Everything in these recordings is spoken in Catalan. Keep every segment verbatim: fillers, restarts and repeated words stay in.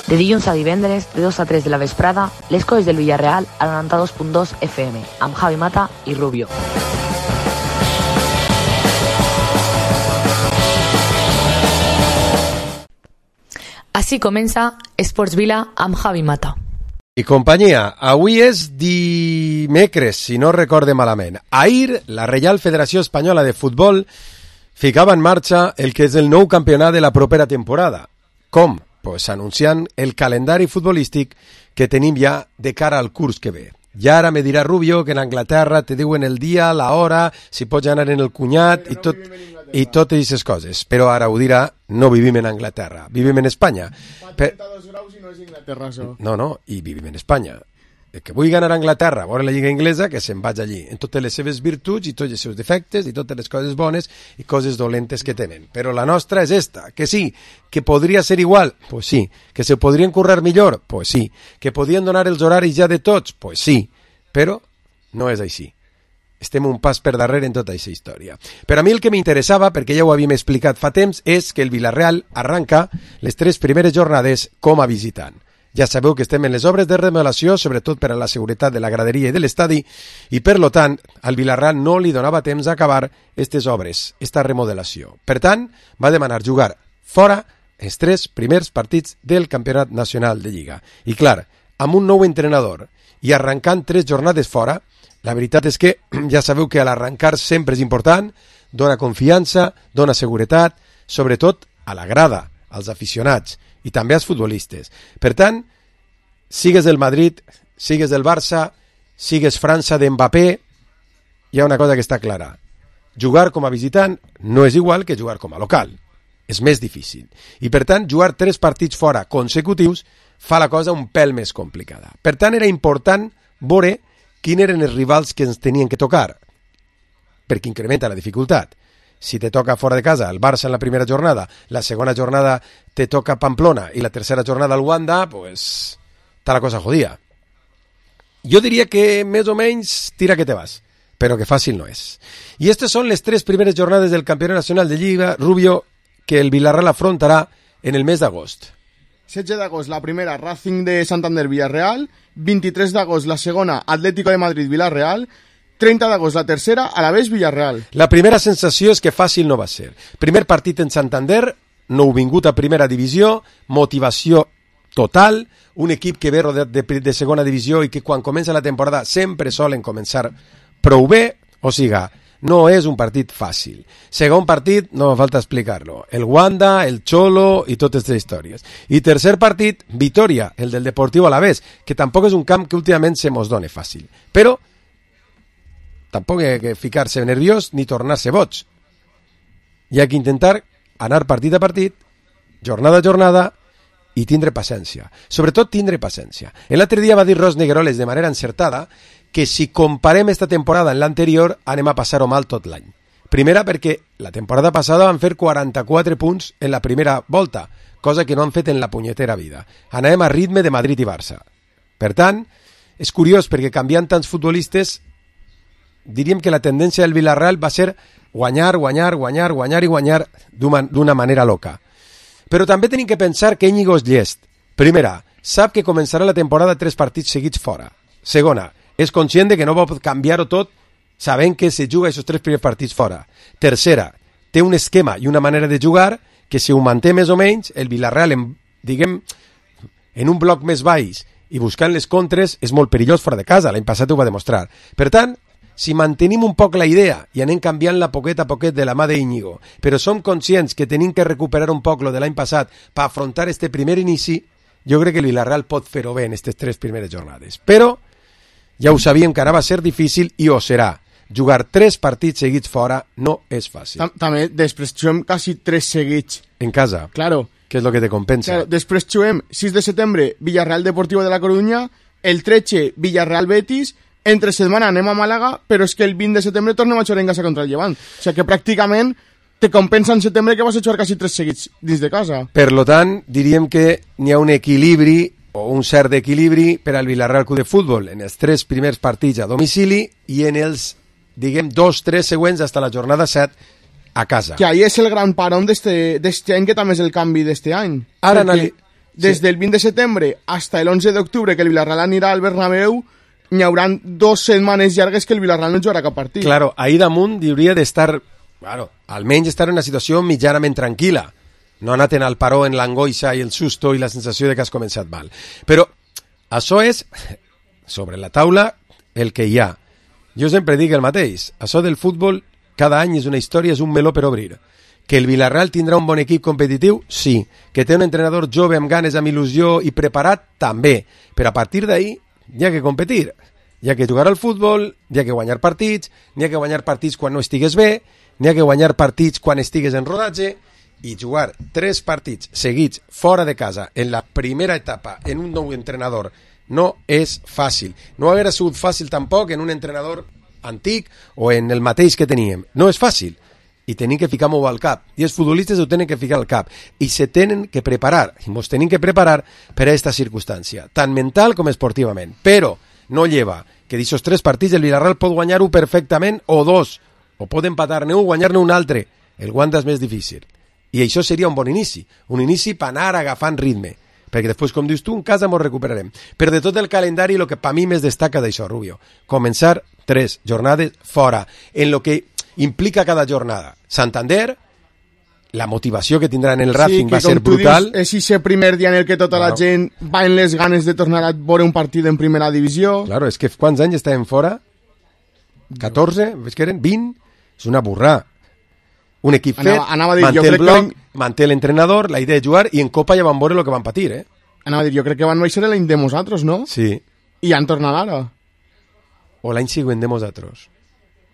De dilluns a divendres, de dos a tres de la vesprada, les coses del Villarreal a noranta-dos punt dos F M, amb Javi Mata i Rubio. Així comença Esports Vila amb Javi Mata. I companyia, avui és dimecres, si no recorde malament. Ahir, la Reial Federació Espanyola de Futbol ficava en marxa el que és el nou campionat de la propera temporada. Com? Pues anunciant el calendari futbolístic que tenim ja de cara al curs que ve. I ara me dirà Rubio que en Anglaterra te diuen el dia, la hora, si pots anar en el cunyat i tot, i totes aquestes coses. Però ara ho dirà, no vivim en Anglaterra, vivim en Espanya. Fa trenta-dos graus i no és Inglaterra, això. No, no, i vivim en Espanya. El que vull anar a Anglaterra, a veure la Lliga Inglesa, que se'n vaig allí, en totes les seves virtuts i tots els seus defectes i totes les coses bones i coses dolentes que tenen. Però la nostra és esta, que sí, que podria ser igual, pues sí, que se podrien currar millor, pues sí, que podien donar els horaris ja de tots, pues sí, però no és així. Estem un pas per darrere en tota aquesta història. Però a mi el que m'interessava, perquè ja ho havíem explicat fa temps, és que el Villarreal arranca les tres primeres jornades com a visitant. Ja sabeu que estem en les obres de remodelació, sobretot per a la seguretat de la graderia i de l'estadi, i per lo tant, al Villarreal no li donava temps a acabar aquestes obres, esta remodelació. Per tant, va demanar jugar fora els tres primers partits del Campionat Nacional de Lliga. I clar, amb un nou entrenador i arrencant tres jornades fora, la veritat és que ja sabeu que a l'arrencar sempre és important, dona confiança, dona seguretat, sobretot a la grada, als aficionats, i també als futbolistes. Per tant, sigues del Madrid, sigues del Barça, sigues França d'Mbappé, hi ha una cosa que està clara. Jugar com a visitant no és igual que jugar com a local. És més difícil. I per tant, jugar tres partits fora consecutius fa la cosa un pèl més complicada. Per tant, era important veure quins eren els rivals que ens tenien que tocar, perquè incrementa la dificultat. Si te toca fora de casa el Barça en la primera jornada, la segona jornada te toca Pamplona i la tercera jornada el Wanda, pues està la cosa jodida. Jo diria que més o menys tira que te vas, però que fàcil no és. I aquestes són les tres primeres jornades del Campionat Nacional de Lliga, Rubio, que el Villarreal afrontarà en el mes d'agost. setze d'agost la primera, Racing de Santander Villarreal, vint-i-tres d'agost la segona, Atlético de Madrid Villarreal, trenta d'agost la tercera, Alavés Villarreal. La primera sensació és que fàcil no va ser. Primer partit en Santander, nou vingut a primera divisió, motivació total, un equip que ve rodeat de, de segona divisió i que quan comença la temporada sempre solen començar prou bé, o siga, no és un partit fàcil. Segon partit, no me falta explicar-lo, el Wanda, el Cholo i totes aquestes històries. I tercer partit, Vitoria, el del Deportivo Alavés, que tampoc és un camp que últimament se mos done fàcil. Però tampoc hi ha que ficar-se nerviós ni tornar-se boig. Hi ha que intentar anar partit a partit, jornada a jornada, i tindre paciència. Sobretot tindre paciència. L'altre dia va dir Ros Negueroles de manera encertada que si comparem esta temporada amb l'anterior anem a passar-ho mal tot l'any. Primera perquè la temporada passada van fer quaranta-quatre punts en la primera volta, cosa que no han fet en la punyetera vida. Anem a ritme de Madrid i Barça. Per tant, és curiós perquè canviant tants futbolistes diríem que la tendència del Villarreal va ser guanyar, guanyar, guanyar, guanyar i guanyar d'una manera loca. Però també tenim que pensar que Íñigo és llest. Primera, sap que començarà la temporada tres partits seguits fora. Segona, és conscient de que no pot canviar-ho tot sabent que se juga aquests tres primers partits fora. Tercera, té un esquema i una manera de jugar que si ho manté més o menys, el Villarreal, en, diguem, en un bloc més baix i buscant les contres, és molt perillós fora de casa. L'any passat ho va demostrar. Per tant, si mantenim un poc la idea i anem canviant la poquet a poquet de la mà d'Íñigo, però som conscients que tenim que recuperar un poc lo de l'any passat per afrontar este primer inici, jo crec que el Villarreal pot fer-ho bé en aquestes tres primeres jornades. Però ja ho sabíem que ara va ser difícil i ho serà. Jugar tres partits seguits fora no és fàcil. També després juguem quasi tres seguits. En casa? Claro. Què és el que te compensa? Claro, després juguem sis de setembre Villarreal Deportivo de la Coruña, el tretze Villarreal Betis, entre setmana anem a Màlaga, però és que el vint de setembre tornem a jugar en casa contra el Llevant. O sigui que pràcticament te compensa en setembre que vas a jugar quasi tres seguits dins de casa. Per lo tant, diríem que n'hi ha un equilibri o un cert equilibri per al Villarreal Club de Futbol en els tres primers partits a domicili i en els, diguem, dos, tres següents fins a la jornada set a casa. Que ahí és el gran parón d'este any, que també és el canvi d'este any. Ara, anali des Sí. del vint de setembre hasta el onze d'octubre, que el Villarreal anirà al Bernabéu, n'hi hauran dos setmanes llargues que el Villarreal no jugarà cap partit. Claro, ahí damunt hauria d'estar, claro, almenys estar en una situació mitjanament tranquil·la. No anaten al paró en l'angoixa i el susto i la sensació de que has començat mal. Però això és, sobre la taula, el que hi ha. Jo sempre dic el mateix. Això del futbol, cada any és una història, és un meló per obrir. Que el Villarreal tindrà un bon equip competitiu? Sí. Que té un entrenador jove amb ganes, amb il·lusió i preparat? També. Però a partir d'ahí hi ha que competir. Hi ha que jugar al futbol, hi ha que guanyar partits, n'hi ha que guanyar partits quan no estigues bé, n'hi ha que guanyar partits quan estigues en rodatge, i jugar tres partits seguits fora de casa en la primera etapa en un nou entrenador no és fàcil. No haguera sigut fàcil tampoc en un entrenador antic o en el mateix que teníem. No és fàcil. I tenim que ficar-m'ho al cap. I els futbolistes ho tenen que ficar al cap. I se tenen que preparar. I ens tenim que preparar per a aquesta circumstància, tant mental com esportivament. Però no lleva que d'aquests tres partits el Villarreal pot guanyar-ho perfectament o dos. O pot empatar-ne un, guanyar-ne un altre. El guanta és més difícil. I això seria un bon inici. Un inici per anar agafant ritme. Perquè després, com dius tu, en casa ens recuperarem. Però de tot el calendari, el que per mi més destaca d'això, Rubio, començar tres jornades fora, en lo que implica cada jornada. Santander, la motivació que tindran en el Racing sí, va ser brutal. Dius, és ese primer dia en el que tota claro. la gent va en les ganes de tornar a veure un partit en primera divisió. Claro, és que quants anys estàvem fora? catorze? Ves que eren vint? És una burrà. Un equip fet, anava, anava dir, manté el bloc, que... manté l'entrenador, la idea de jugar, i en Copa ja van veure el que van patir, eh? Anava a dir, jo crec que van baixar l'any de nosaltres, no? Sí. I han tornat ara. O l'any següent de nosaltres.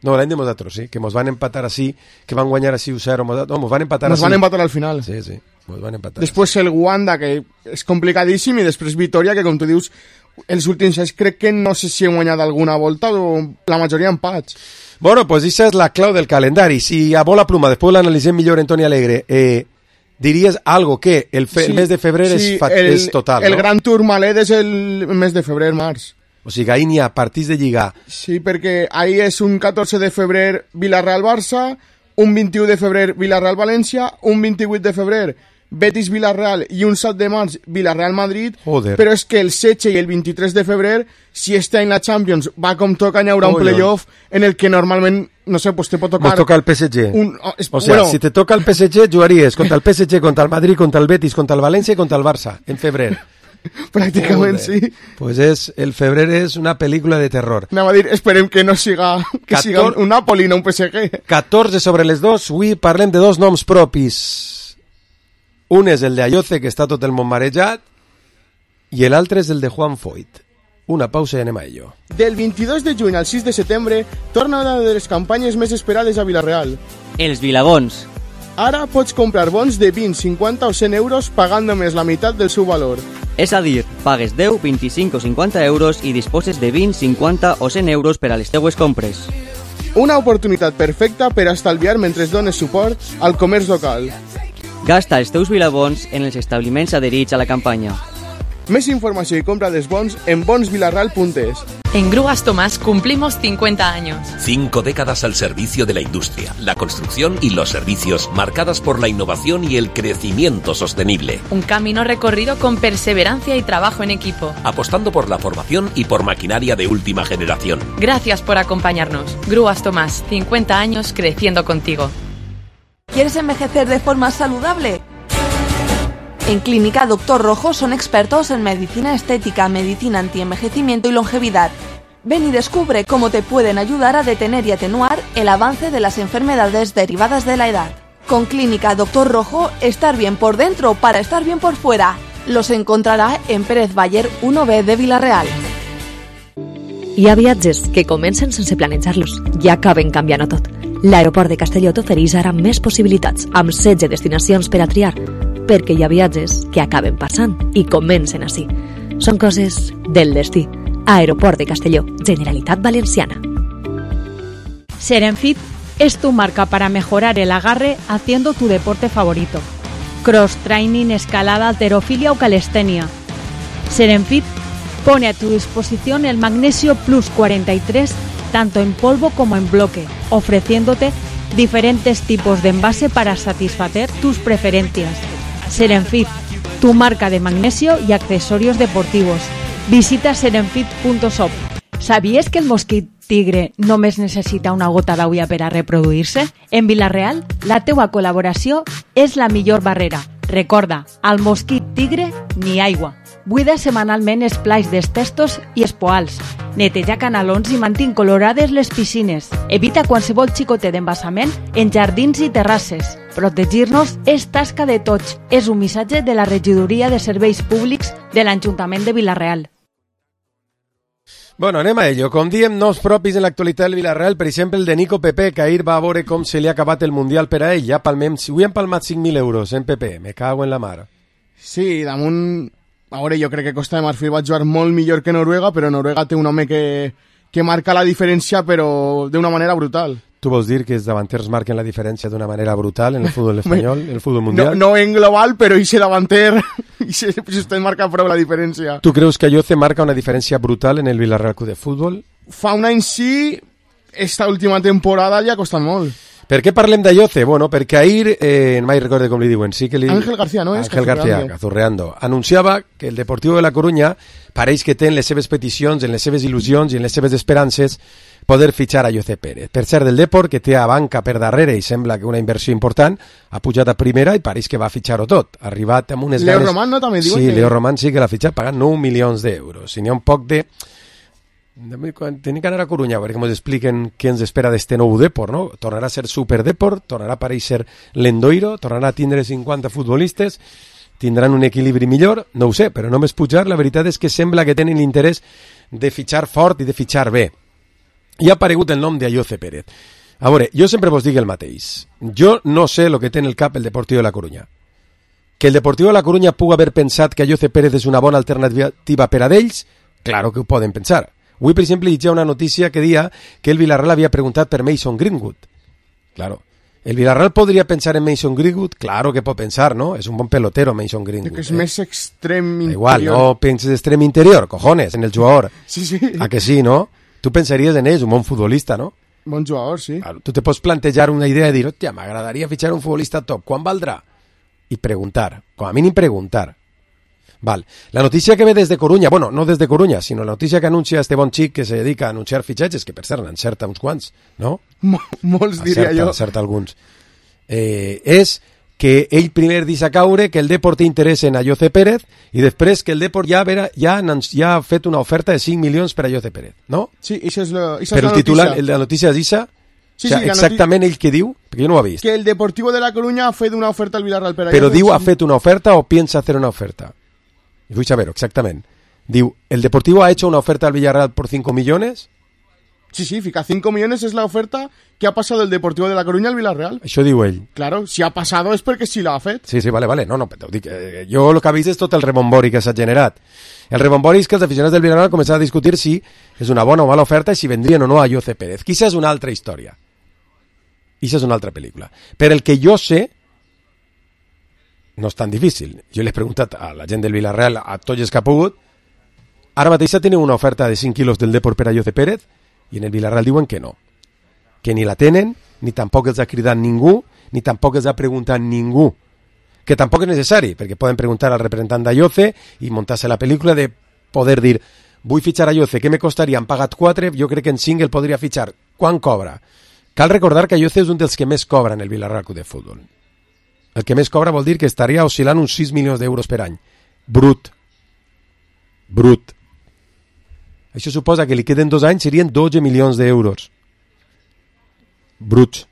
No, l'any de nosaltres, sí, que mos van empatar així, que van guanyar així u zero, no, mos van empatar Nos així. van empatar al final. Sí, sí, mos van empatar. Després el Wanda, que és complicadíssim, i després Vitoria, que com tu dius, els últims anys crec que no sé si han guanyat alguna volta o la majoria empats. Bueno, pues esa es la clau del calendari. Si a bola pluma, después lo analicé millor en Toni Alegre, eh, diries algo que el, fe, sí, el mes de febrer sí, és, fa, el, és total, el no? Gran Tourmalet és el mes de febrer, març. O sigui, ahí n'hi ha partits de lligar. Sí, perquè ahí és un catorze de febrer Villarreal-Barça, un vint-i-u de febrer Villarreal-València, un vint-i-vuit de febrer Betis-Villarreal i un set de març Villarreal-Madrid. Joder. Però és que el setze i el vint-i-tres de febrer, si este any la Champions va com toca, hi haurà un playoff en el que normalment, no sé, pues te pot tocar... Nos toca el P S G. Un, oh, es, o sea, bueno, si te toca el P S G, jugaries contra el P S G, contra el Madrid, contra el Betis, contra el València i contra el Barça, en febrer. Pràcticament, sí. Pues és, el febrer és una pel·lícula de terror. Anava a dir, esperem que no siga, que Cator... siga un Napoli, no un P S G. catorze sobre les dos, avui parlem de dos noms propis. Un és el de Ayoce, que està tot el món marejat, i l'altre és el de Juan Foyt. Una pausa i anem a ello. Del vint-i-dos de juny al sis de setembre torna una de les campanyes més esperades a Villarreal. Els Vilabons. Ara pots comprar bons de vint, cinquanta o cent euros pagant només la meitat del seu valor. És a dir, pagues deu, vint-i-cinc o cinquanta euros i disposes de vint, cinquanta o cent euros per a les teues compres. Una oportunitat perfecta per a estalviar mentre dones suport al comerç local. Gasta els teus Vilabons en els establiments adherits a la campanya. Més informació y compra de bons en bons villarreal punto es. En Grúas Tomás cumplimos cincuenta años. Cinco décadas al servicio de la industria, la construcción y los servicios, marcadas por la innovación y el crecimiento sostenible. Un camino recorrido con perseverancia y trabajo en equipo. Apostando por la formación y por maquinaria de última generación. Gracias por acompañarnos. Grúas Tomás, cincuenta años creciendo contigo. ¿Quieres envejecer de forma saludable? En Clínica Doctor Rojo son expertos en medicina estética, medicina antienvejecimiento y longevidad. Ven y descubre cómo te pueden ayudar a detener y atenuar el avance de las enfermedades derivadas de la edad. Con Clínica Doctor Rojo, estar bien por dentro para estar bien por fuera. Los encontrarà en Pérez Bayer uno B de Villarreal. Hi ha viatges que comencen sense planejar-los i acaben canviant-ho tot. L'aeroport de Castelló t'ofereix ara més possibilitats, amb setze destinacions per a triar, perquè hi ha viatges que acaben passant i comencen així. Són coses del destí. Aeroport de Castelló, Generalitat Valenciana. Serenfit es tu marca para mejorar el agarre haciendo tu deporte favorito. Cross training, escalada, halterofilia o calistenia. Serenfit pone a tu disposición el Magnesio Plus cuarenta y tres tanto en polvo como en bloque, ofreciéndote diferentes tipos de envase para satisfacer tus preferencias. Serenfit, tu marca de magnesio y accesorios deportivos. Visita serenfit punto shop. ¿Sabías que el mosquit tigre només necessita una gota d'aigua per a reproduir-se? En Vila-real, la teua col·laboració és la millor barrera. Recorda, al mosquit tigre, ni aigua. Buida setmanalment els plais dels testos i els poals. Neteja canalons i mantén colorades les piscines. Evita qualsevol xicotet d'embassament en jardins i terrasses. Protegir-nos és tasca de tots. És un missatge de la Regidoria de Serveis Públics de l'Ajuntament de Vila-real. Bueno, anem a ello. Com diem, noms propis en l'actualitat del Vila-real, per exemple, el de Nico Pepe, que ahir va a veure com se li ha acabat el Mundial per a ell. Ja palmem, si avui hem palmat cinc mil euros en Pepe, me cago en la mar. Sí, damunt... A veure, jo crec que Costa de Marfil va jugar molt millor que Noruega, però Noruega té un home que, que marca la diferència, però d'una manera brutal. Tu vols dir que els davanters marquen la diferència d'una manera brutal en el futbol espanyol, en el futbol mundial? No, no en global, però ese davanter, ese, si usted marca prou la diferència. Tu creus que Ayoce marca una diferència brutal en el Villarreal Club de Futbol? Fa un any sí, esta última temporada li ha costat molt. Per què parlem d'Ayoce? Bueno, perquè ahir, eh, mai recorde com li diuen, sí que li... Ángel García, no és? Ángel García, Cazurreando. Anunciava que el Deportivo de la Coruña pareix que té en les seves peticions, en les seves il·lusions i en les seves esperances poder fitxar a Ayoce Pérez. Per cert, del Deport, que té a banca per darrere i sembla que una inversió important, ha pujat a primera i pareix que va fitxar-ho tot. Ha arribat amb unes Leo ganes... Román, no? També diuen sí, que... Leo Román sí que l'ha fitxat pagant nou milions d'euros. I n'hi ha un poc de... Tenim que anar a Coruña perquè ens expliquen què ens espera d'este nou Deport, no? Tornarà a ser superdeport, tornarà a aparèixer l'Endoiro, tornarà a tindre cinquanta futbolistes, tindran un equilibri millor, no ho sé, però només pujar, la veritat és que sembla que tenen l'interès de fitxar fort i de fitxar bé. I ha aparegut el nom d'Ayoce Pérez. A veure, jo sempre vos dic el mateix. Jo no sé el que té en el cap el Deportivo de la Coruña. Que el Deportivo de la Coruña pugui haver pensat que Ayoce Pérez és una bona alternativa per a d'ells, claro que ho poden pensar. Avui, per exemple, llegia una notícia que dia que el Villarreal havia preguntat per Mason Greenwood. Claro. ¿El Villarreal podria pensar en Mason Greenwood? Claro que pot pensar, ¿no? És un bon pelotero, Mason Greenwood. Que és eh? més extrem interior. Igual, no penses extrem interior, cojones, en el jugador. Sí, sí. A que sí, no? Tu pensaries en ell, un bon futbolista, no? Bon jugador, sí. Claro, tu te pots plantejar una idea de dir, hòstia, m'agradaria fitxar un futbolista top, quan valdrà? I preguntar, com a mínim preguntar. Val. La notícia que ve des de Coruña, bueno, no des de Coruña, sinó la notícia que anuncia este bon xic que se dedica a anunciar fitxatges, que per cert n'encerta uns quants, no? Mol, molts, diria encerta, jo. Encerta alguns. Eh, és que ell primer deixa caure que el Deport té interès en Ayoce Pérez i després que el Deport ja, vera, ja, ja ha fet una oferta de cinc milions per a Ayoce Pérez, no? Sí, això és, la, això Però és la el titular, notícia. el de la notícia és Isa? Sí, o sigui, sí, exactament ell que diu, perquè jo no ho he vist. Que el Deportivo de la Coruña ha fet una oferta al Villarreal per a Però Ayoce. diu ha fet una oferta o piensa hacer una oferta. Y vull saber exactament. Diu, ¿el Deportivo ha hecho una oferta al Villarreal por cinco millones? Sí, sí, fica cinco millones es la oferta que ha pasado del Deportivo de la Coruña al Villarreal. Això diu ell. Claro, si ha pasado es perquè sí l'ha fet. Sí, sí, vale, vale. No, no, però dic, eh, jo el que he vist és tot el rebombori que s'ha generat. El rebombori és que els aficionats del Villarreal començaran a discutir si és una bona o mala oferta i si vendrien o no a Ayoce Pérez. Quizá és una altra història. Quizá és una altra pel·lícula. Per el que jo sé, no és tan difícil. Jo l'he preguntat a la gent del Villarreal, a tots els que ha pogut. Ara mateix tenen una oferta de cinc quilos del Deport per a Ayoce Pérez i en el Villarreal diuen que no. Que ni la tenen, ni tampoc els ha cridat ningú, ni tampoc els ha preguntat ningú. Que tampoc és necessari, perquè poden preguntar al representant d'Ayoce i muntar-se la pel·lícula de poder dir vull fitxar a Ayoce, què me costaria? Han pagat quatre, jo crec que en cinc el podria fitxar. Quan cobra? Cal recordar que Ayoce és un dels que més cobra en el Villarreal Club de Futbol. El que més cobra vol dir que estaria oscil·lant uns sis milions d'euros per any. Brut. Brut. Això suposa que li queden dos anys, serien dotze milions d'euros. Bruts.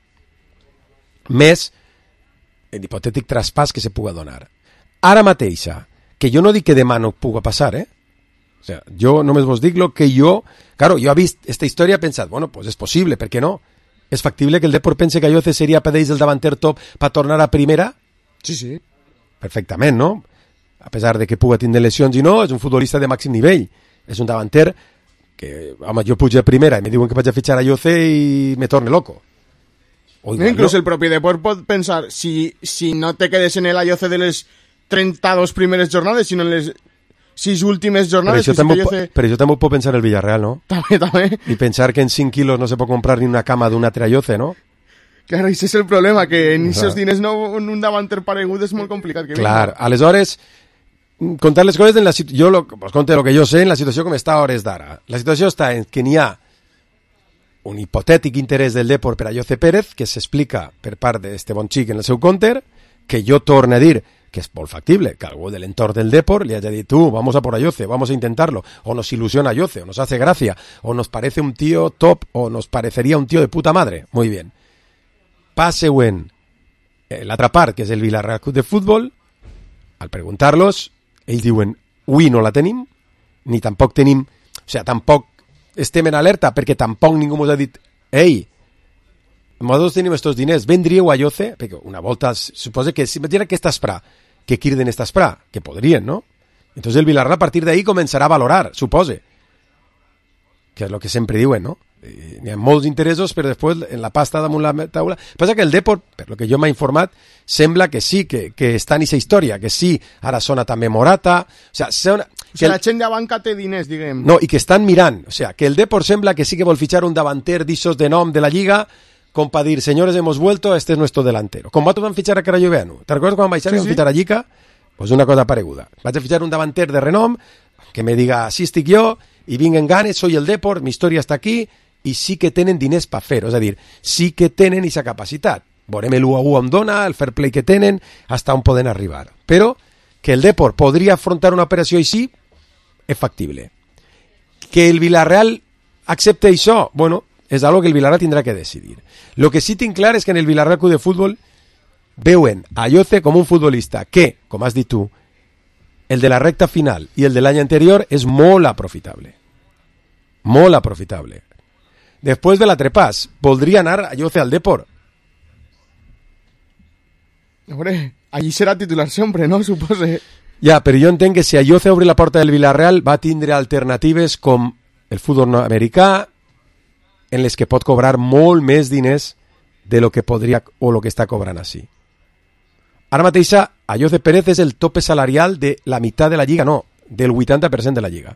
Més l'hipotètic traspàs que se puga donar. Ara mateixa, que jo no dic que demà no puga passar, eh? O sea, jo només vos dic lo que jo... Claro, jo he vist esta història i he pensat, bueno, pues és possible, per què no? És factible que el Deport pense que Ayoce seria per ells el davanter top per tornar a primera? Sí, sí. Perfectament, no? A pesar de que puga tindre lesions i no, és un futbolista de màxim nivell. És un davanter que, home, jo pujo a primera i me diuen que vaig a fitxar a Ayoce i me torne loco. O igual, Inclús no? el propi Deport pot pensar, si, si no te quedes en el Ayoce de les trenta-dos primeres jornades, sinó en les sis últimes Per jornades... això, també, Ayoce... per això també ho pot pensar el Villarreal, no? També, també. I pensar que en cinc quilos no se pot comprar ni una cama d'un altre Ayoce, no? Claro, ese és el problema, que en aquests diners no, un davanter paregut és molt complicat. Que Clar, venga. Aleshores, contar les coses en la situació, jo lo, pues conte lo que jo sé en la situació com està a hores d'ara. La situació està en que n'hi ha un hipotètic interès del Depor per a Jose Pérez, que s'explica per part d'este bon xic en el seu counter, que jo torno a dir que és molt factible, que algú de l'entorn del Depor li haya dit, tú, vamos a por a Jose, vamos a intentarlo, o nos ilusiona Jose, o nos hace gracia, o nos parece un tío top, o nos parecería un tío de puta madre. Muy bien. Pas següent, l'altra part, que és el Villarreal Club de Futbol, al preguntar-los, ells diuen, ui, no la tenim, ni tampoc tenim, o sigui, tampoc estem en alerta, perquè tampoc ningú ens ha dit, ei, nosaltres tenim estos diners, vendríeu a Jose? Perquè una volta, suposa que si me tienen que està esperar, que quirden esta esperar, que podrien, ¿no? Entonces el Villarreal a partir de ahí començarà a valorar, supose, que és el que sempre diuen, ¿no? Hi ha molts interessos, però després en la pasta damunt la taula. Passa que el Depor, per lo que jo m'ha informat, sembla que sí, que, que està en aquesta història, que sí, ara sona també Morata, o sea, sona, o sea, el... la gent de banca té diners, diguem. No, i que estan mirant, o sea, que el Depor sembla que sí que vol fitxar un davanter d'issos de nom de la Lliga, com para dir, señores, hemos vuelto, este es nuestro delantero. Com va van fichar a Carayoveanu? ¿Te recuerdas cuando vaig a sí, fichar a Llica? Pues una cosa pareguda. Vaig a fichar un davanter de renom, que me diga, sí estic jo, i vinc en ganes, soy el Depor, mi història està aquí, i sí que tenen diners per fer-ho, és a dir, sí que tenen aquesta capacitat. Veurem l'u a u on dona, el fair play que tenen, hasta on poden arribar. Però que el Depor podria afrontar una operació així, és factible. Que el Villarreal accepte això, bueno, és algo que el Villarreal tindrà que decidir. Lo que sí tinc clar és que en el Villarreal Club de Futbol veuen a Jose com un futbolista que, com has dit tu, el de la recta final i el de l'any anterior és molt aprofitable. Molt aprofitable. Després de la trepàs, voldria anar a Jose al Depor. Hombre, allí serà titular sempre, ¿no? Supose. Ja, però jo entenc que si a Jose obri la porta del Villarreal va tindre alternatives com el futbol americà, en les que pot cobrar molt més diners de lo que podria o lo que està cobrant així. Ara mateix, a Jose Pérez és el tope salarial de la meitat de la Lliga, no, del vuitanta per cent de la Lliga.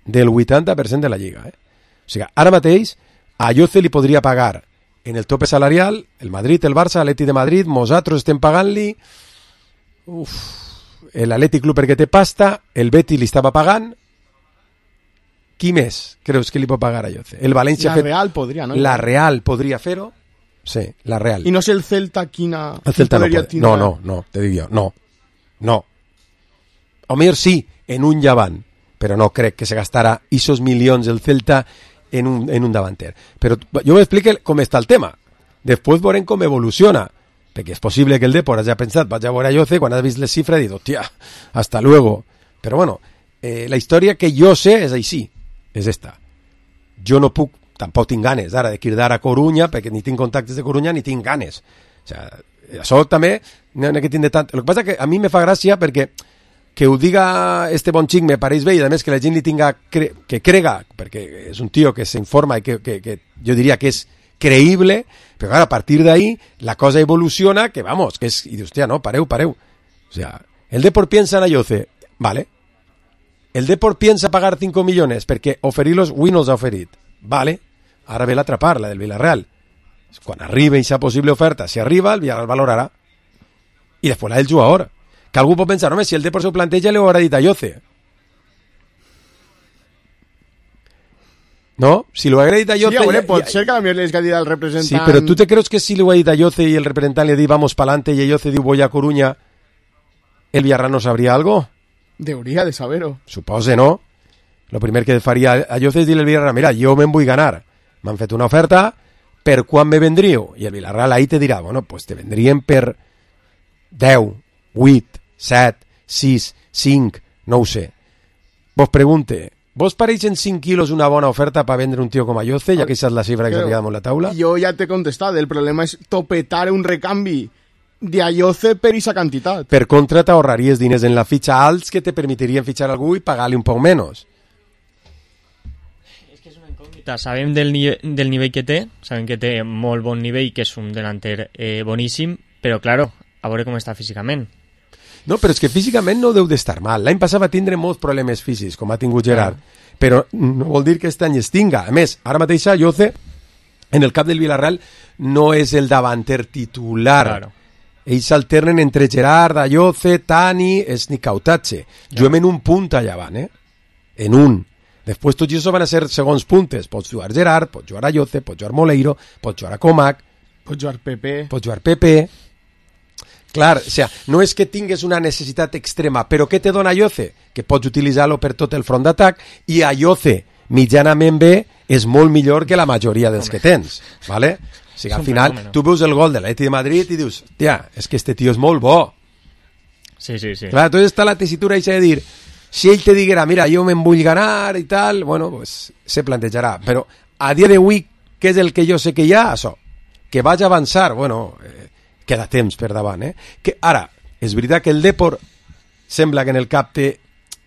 Del vuitanta per cent de la Lliga, eh? O sigui, ara mateix a Jose li podria pagar en el tope salarial el Madrid, el Barça, l'Atlètic de Madrid, nosaltres estem pagant-li l'Atlètic Club perquè té pasta, el Betis li estava pagant. Qui més creus que li pot pagar a Jose? El València la fet... Real podria, ¿no? La Real podria fer-ho. Sí, la Real. I no sé el Celta quina... El Celta no pot. No, no, no, te dic jo, no. No. O millor sí, en un llevant, però no crec que se gastarà esos milions el Celta en un, en un davanter. Però jo m'explico com està el tema. Després veurem com evoluciona. Perquè és possible que el Depor hagi pensat, vaig a veure a Jose, quan has vist les xifres, ha dit, hòstia, hasta luego. Però bueno, eh, la història que jo sé és així, és esta. Jo no puc, tampoc tinc ganes ara de cridar a Corunya, perquè ni tinc contactes de Corunya ni tinc ganes. O sea, això també no n'he que tindre tant. El que passa que a mi me fa gràcia perquè que ho diga este bon xic me pareix bé i a més que la gent li tinga cre que crega, perquè és un tio que s'informa i que, que, que jo diria que és creïble, però clar, a partir d'ahí la cosa evoluciona, que vamos, que és, i dius, hòstia, no, pareu, pareu. O sea, el Depor piensa en Jose, vale. El Depor piensa pagar cinco millones perquè oferir-los, avui no els ha oferit. Vale, ara ve l'altra part, la del Villarreal. Quan arriba aquesta possible oferta, si arriba, el Villarreal valorarà. I després la del jugador. Que algú pot pensar, home, si el Depor s'ho planteja, li ho haurà dit a Jose. No? Si lo haguera dit a Jose... Sí, hombre, pot ser que a mi li hagi dit al representant... Sí, però tu te creus que si li ho ha dit a Jose i el representant li ha dit vamos pa'lante i Jose diu voy a Coruña, el Villarreal no sabria algo? Deuria de saber-ho. Supose, no? Lo primer que faria a Jose és dir al Villarreal, mira, jo me'n vull ganar. M'han fet una oferta, per quan me vendríeu? I el Villarreal ahí te dirà, bueno, pues te vendrien per deu, vuit, set, sis, cinc, no ho sé. Vos pregunte, vos pareixen cinc quilos una bona oferta per vendre un tio com a Jose, ja que aquesta és la xifra que s'ha quedat en la taula? Jo ja t'he contestat, el problema és topetar un recanvi de a Jose per aquesta quantitat. Per contra, t'ahorraries diners en la fitxa alts que te permetirien fitxar algú i pagar-li un poc menys. És que és una incògnita. Sabem del, ni del nivell que té, sabem que té molt bon nivell, que és un delanter eh, boníssim, però, claro, a veure com està físicament. No, però és que físicament no deu d'estar mal. L'any passat va tindre molts problemes físics, com ha tingut Gerard, ah. però no vol dir que aquest any es tinga. A més, ara mateix Jose, en el cap del Villarreal, no és el davanter titular. Claro. ells s'alternen entre Gerard, Ayoce, Tani, Snicautache. Juguem en un punt allà avant, eh? En un. Després tots això van a ser segons puntes. Pots jugar Gerard, pots jugar Ayoce, pots jugar Moleiro, pots jugar a Comac, pots jugar Pepe, pots jugar Pepe. Clar, o sea, no és que tingues una necessitat extrema, però què te dona Ayoce? Que pots utilitzar-lo per tot el front d'atac, i Ayoce, mitjanament bé, és molt millor que la majoria dels que tens, ¿vale? O sigui, al final, fenómeno. Tu veus el gol de l'Atleti de Madrid i dius, tia, és que este tio és molt bo. Sí, sí, sí. Clar, entonces està la tessitura de dir, si ell te diguera, mira, jo me'n vull ganar i tal, bueno, pues se plantejarà. Però a dia d'avui, què és el que jo sé que hi ha? Això, que vaig avançar, bueno, eh, queda temps per davant, eh? Que ara, és veritat que el Depor sembla que en el cap té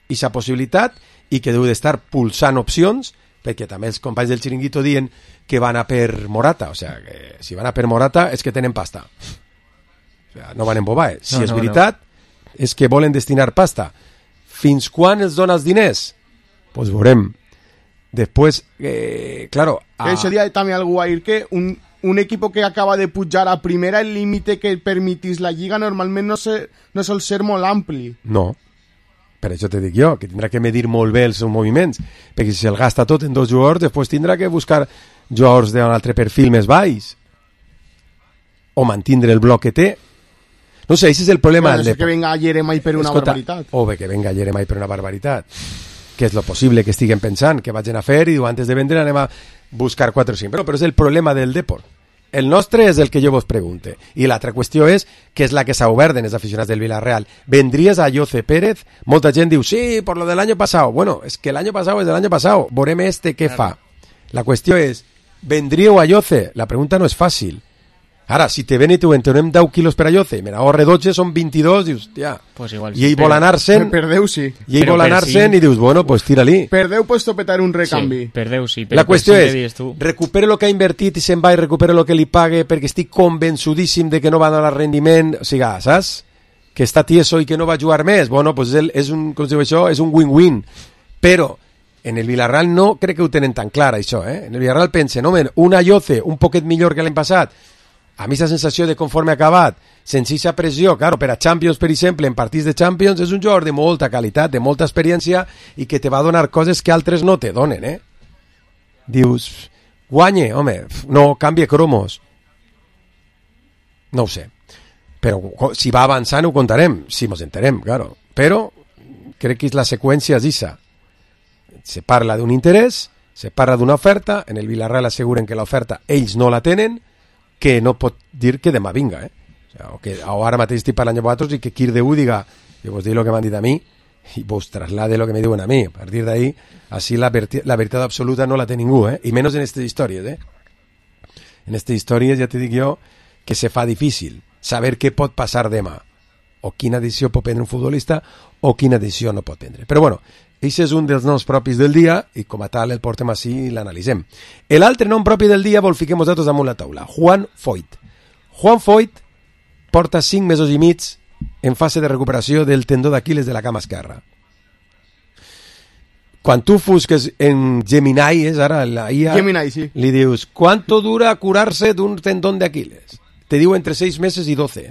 aquesta possibilitat i que deu d'estar pulsant opcions, perquè també els companys del Chiringuito diuen que van a per Morata, o sea, que si van a per Morata és que tenen pasta. O sea, no van embobar, eh? Si no, és no, veritat, no. És que volen destinar pasta. Fins quan els dones diners? Pues veurem. Després, eh, claro... A... Que sería también algo a ir que un, un equipo que acaba de pujar a primera, el límite que permitís la lliga normalment no, se, no sol ser molt ampli. No. Per això te dic jo, que tindrà que medir molt bé els seus moviments, perquè si se'l gasta tot en dos jugadors, després tindrà que buscar jugadors d'un altre perfil més baix, o mantindre el bloc que té. No sé, aquest és el problema. Bueno, no sé que venga Jeremai per una Escolta, barbaritat. O bé que venga Jeremai per una barbaritat, que és lo possible que estiguen pensant, que vagin a fer, i diu, antes de vendre anem a buscar quatre o cinc. Però, però és el problema del Depor. El nostre és el que jo vos pregunte. I l'altra qüestió és, que és la que s'ha obert en els aficionats del Villarreal. ¿Vendrías a Ayoce Pérez? Molta gent diu, sí, por lo del año pasado. Bueno, es que el año pasado es del año pasado. Veurem este què fa. La qüestió és, ¿vendríeu a Ayoce? La pregunta no és fàcil. Ara, si te ven i t'ho entenem deu quilos per Ayoce, me n'ahorre dotze, són vint-i-dos, dius, tia, pues igual, i ell vol anar-se'n, perdeu, sí. I ell vol anar-se'n i dius, bueno, pues tira-li. Perdeu, pues topetar un recanvi. Sí, perdeu, sí. Però la qüestió és, recupera el que ha invertit i se'n va i recupera el que li pague perquè estic convençudíssim de que no va donar rendiment, o sigui, saps? Que està tieso i que no va jugar més. Bueno, pues és, és un, com si diu això, és un win-win. Però en el Villarreal no crec que ho tenen tan clar, això, eh? En el Villarreal pensen, home, un Ayoce un poquet millor que l'any passat. A mi la sensació de conforme ha acabat, sense aquesta pressió, claro, per a Champions, per exemple, en partits de Champions, és un jugador de molta qualitat, de molta experiència, i que te va donar coses que altres no te donen, eh? Dius, guanye, home, no, canvia cromos. No ho sé. Però si va avançant ho contarem, si mos enterem, claro. Però crec que la seqüència és això. Se parla d'un interès, se parla d'una oferta, en el Villarreal asseguren que l'oferta ells no la tenen, que no pot dir que demà vinga, eh? O, sea, o que o ara mateix estic parlant amb vosaltres i que qui de u diga, jo vos dic el que m'han dit a mi i vos traslade el que me diuen a mi. A partir d'ahí, així la, la veritat absoluta no la té ningú, eh? I menys en aquestes històries, eh? En aquestes històries ja te dic jo que se fa difícil saber què pot passar demà, o quina decisió pot prendre un futbolista o quina decisió no pot prendre. Però bueno, aquest és un dels noms propis del dia i com a tal el portem així i l'analitzem. L'altre nom propi del dia vol fiquem nosaltres damunt la taula, Juan Foyth. Juan Foyth porta cinc mesos i mig en fase de recuperació del tendó d'Aquiles de la cama esquerra. Quan tu fusques en Gemini, és ara la I A, Gemini, sí. Li dius, ¿cuánto dura curarse d'un tendón d'Aquiles? Te diu entre seis meses i doce.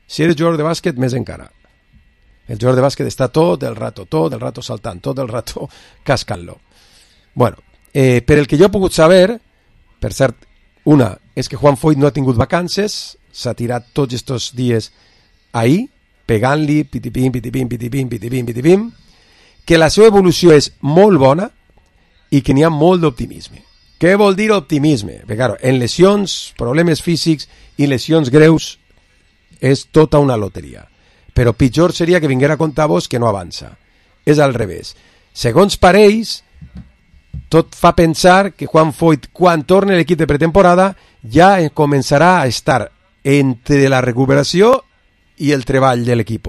Si eres jugador de bàsquet, més encara. El jugador de bàsquet està tot el rato, tot el rato saltant, tot el rato cascant-lo. Bueno, eh, per el que jo he pogut saber, per cert, una, és que Juan Foyth no ha tingut vacances, s'ha tirat tots aquests dies ahir, pegant-li, pitipim, pitipim, pitipim, pitipim, pitipim, que la seva evolució és molt bona i que n'hi ha molt d'optimisme. Què vol dir optimisme? Perquè, claro, en lesions, problemes físics i lesions greus és tota una loteria. Però pitjor seria que vinguera a contar vos que no avança. És al revés. Segons parells, tot fa pensar que Juan Foyth, quan torni a l'equip de pretemporada, ja començarà a estar entre la recuperació i el treball de l'equip.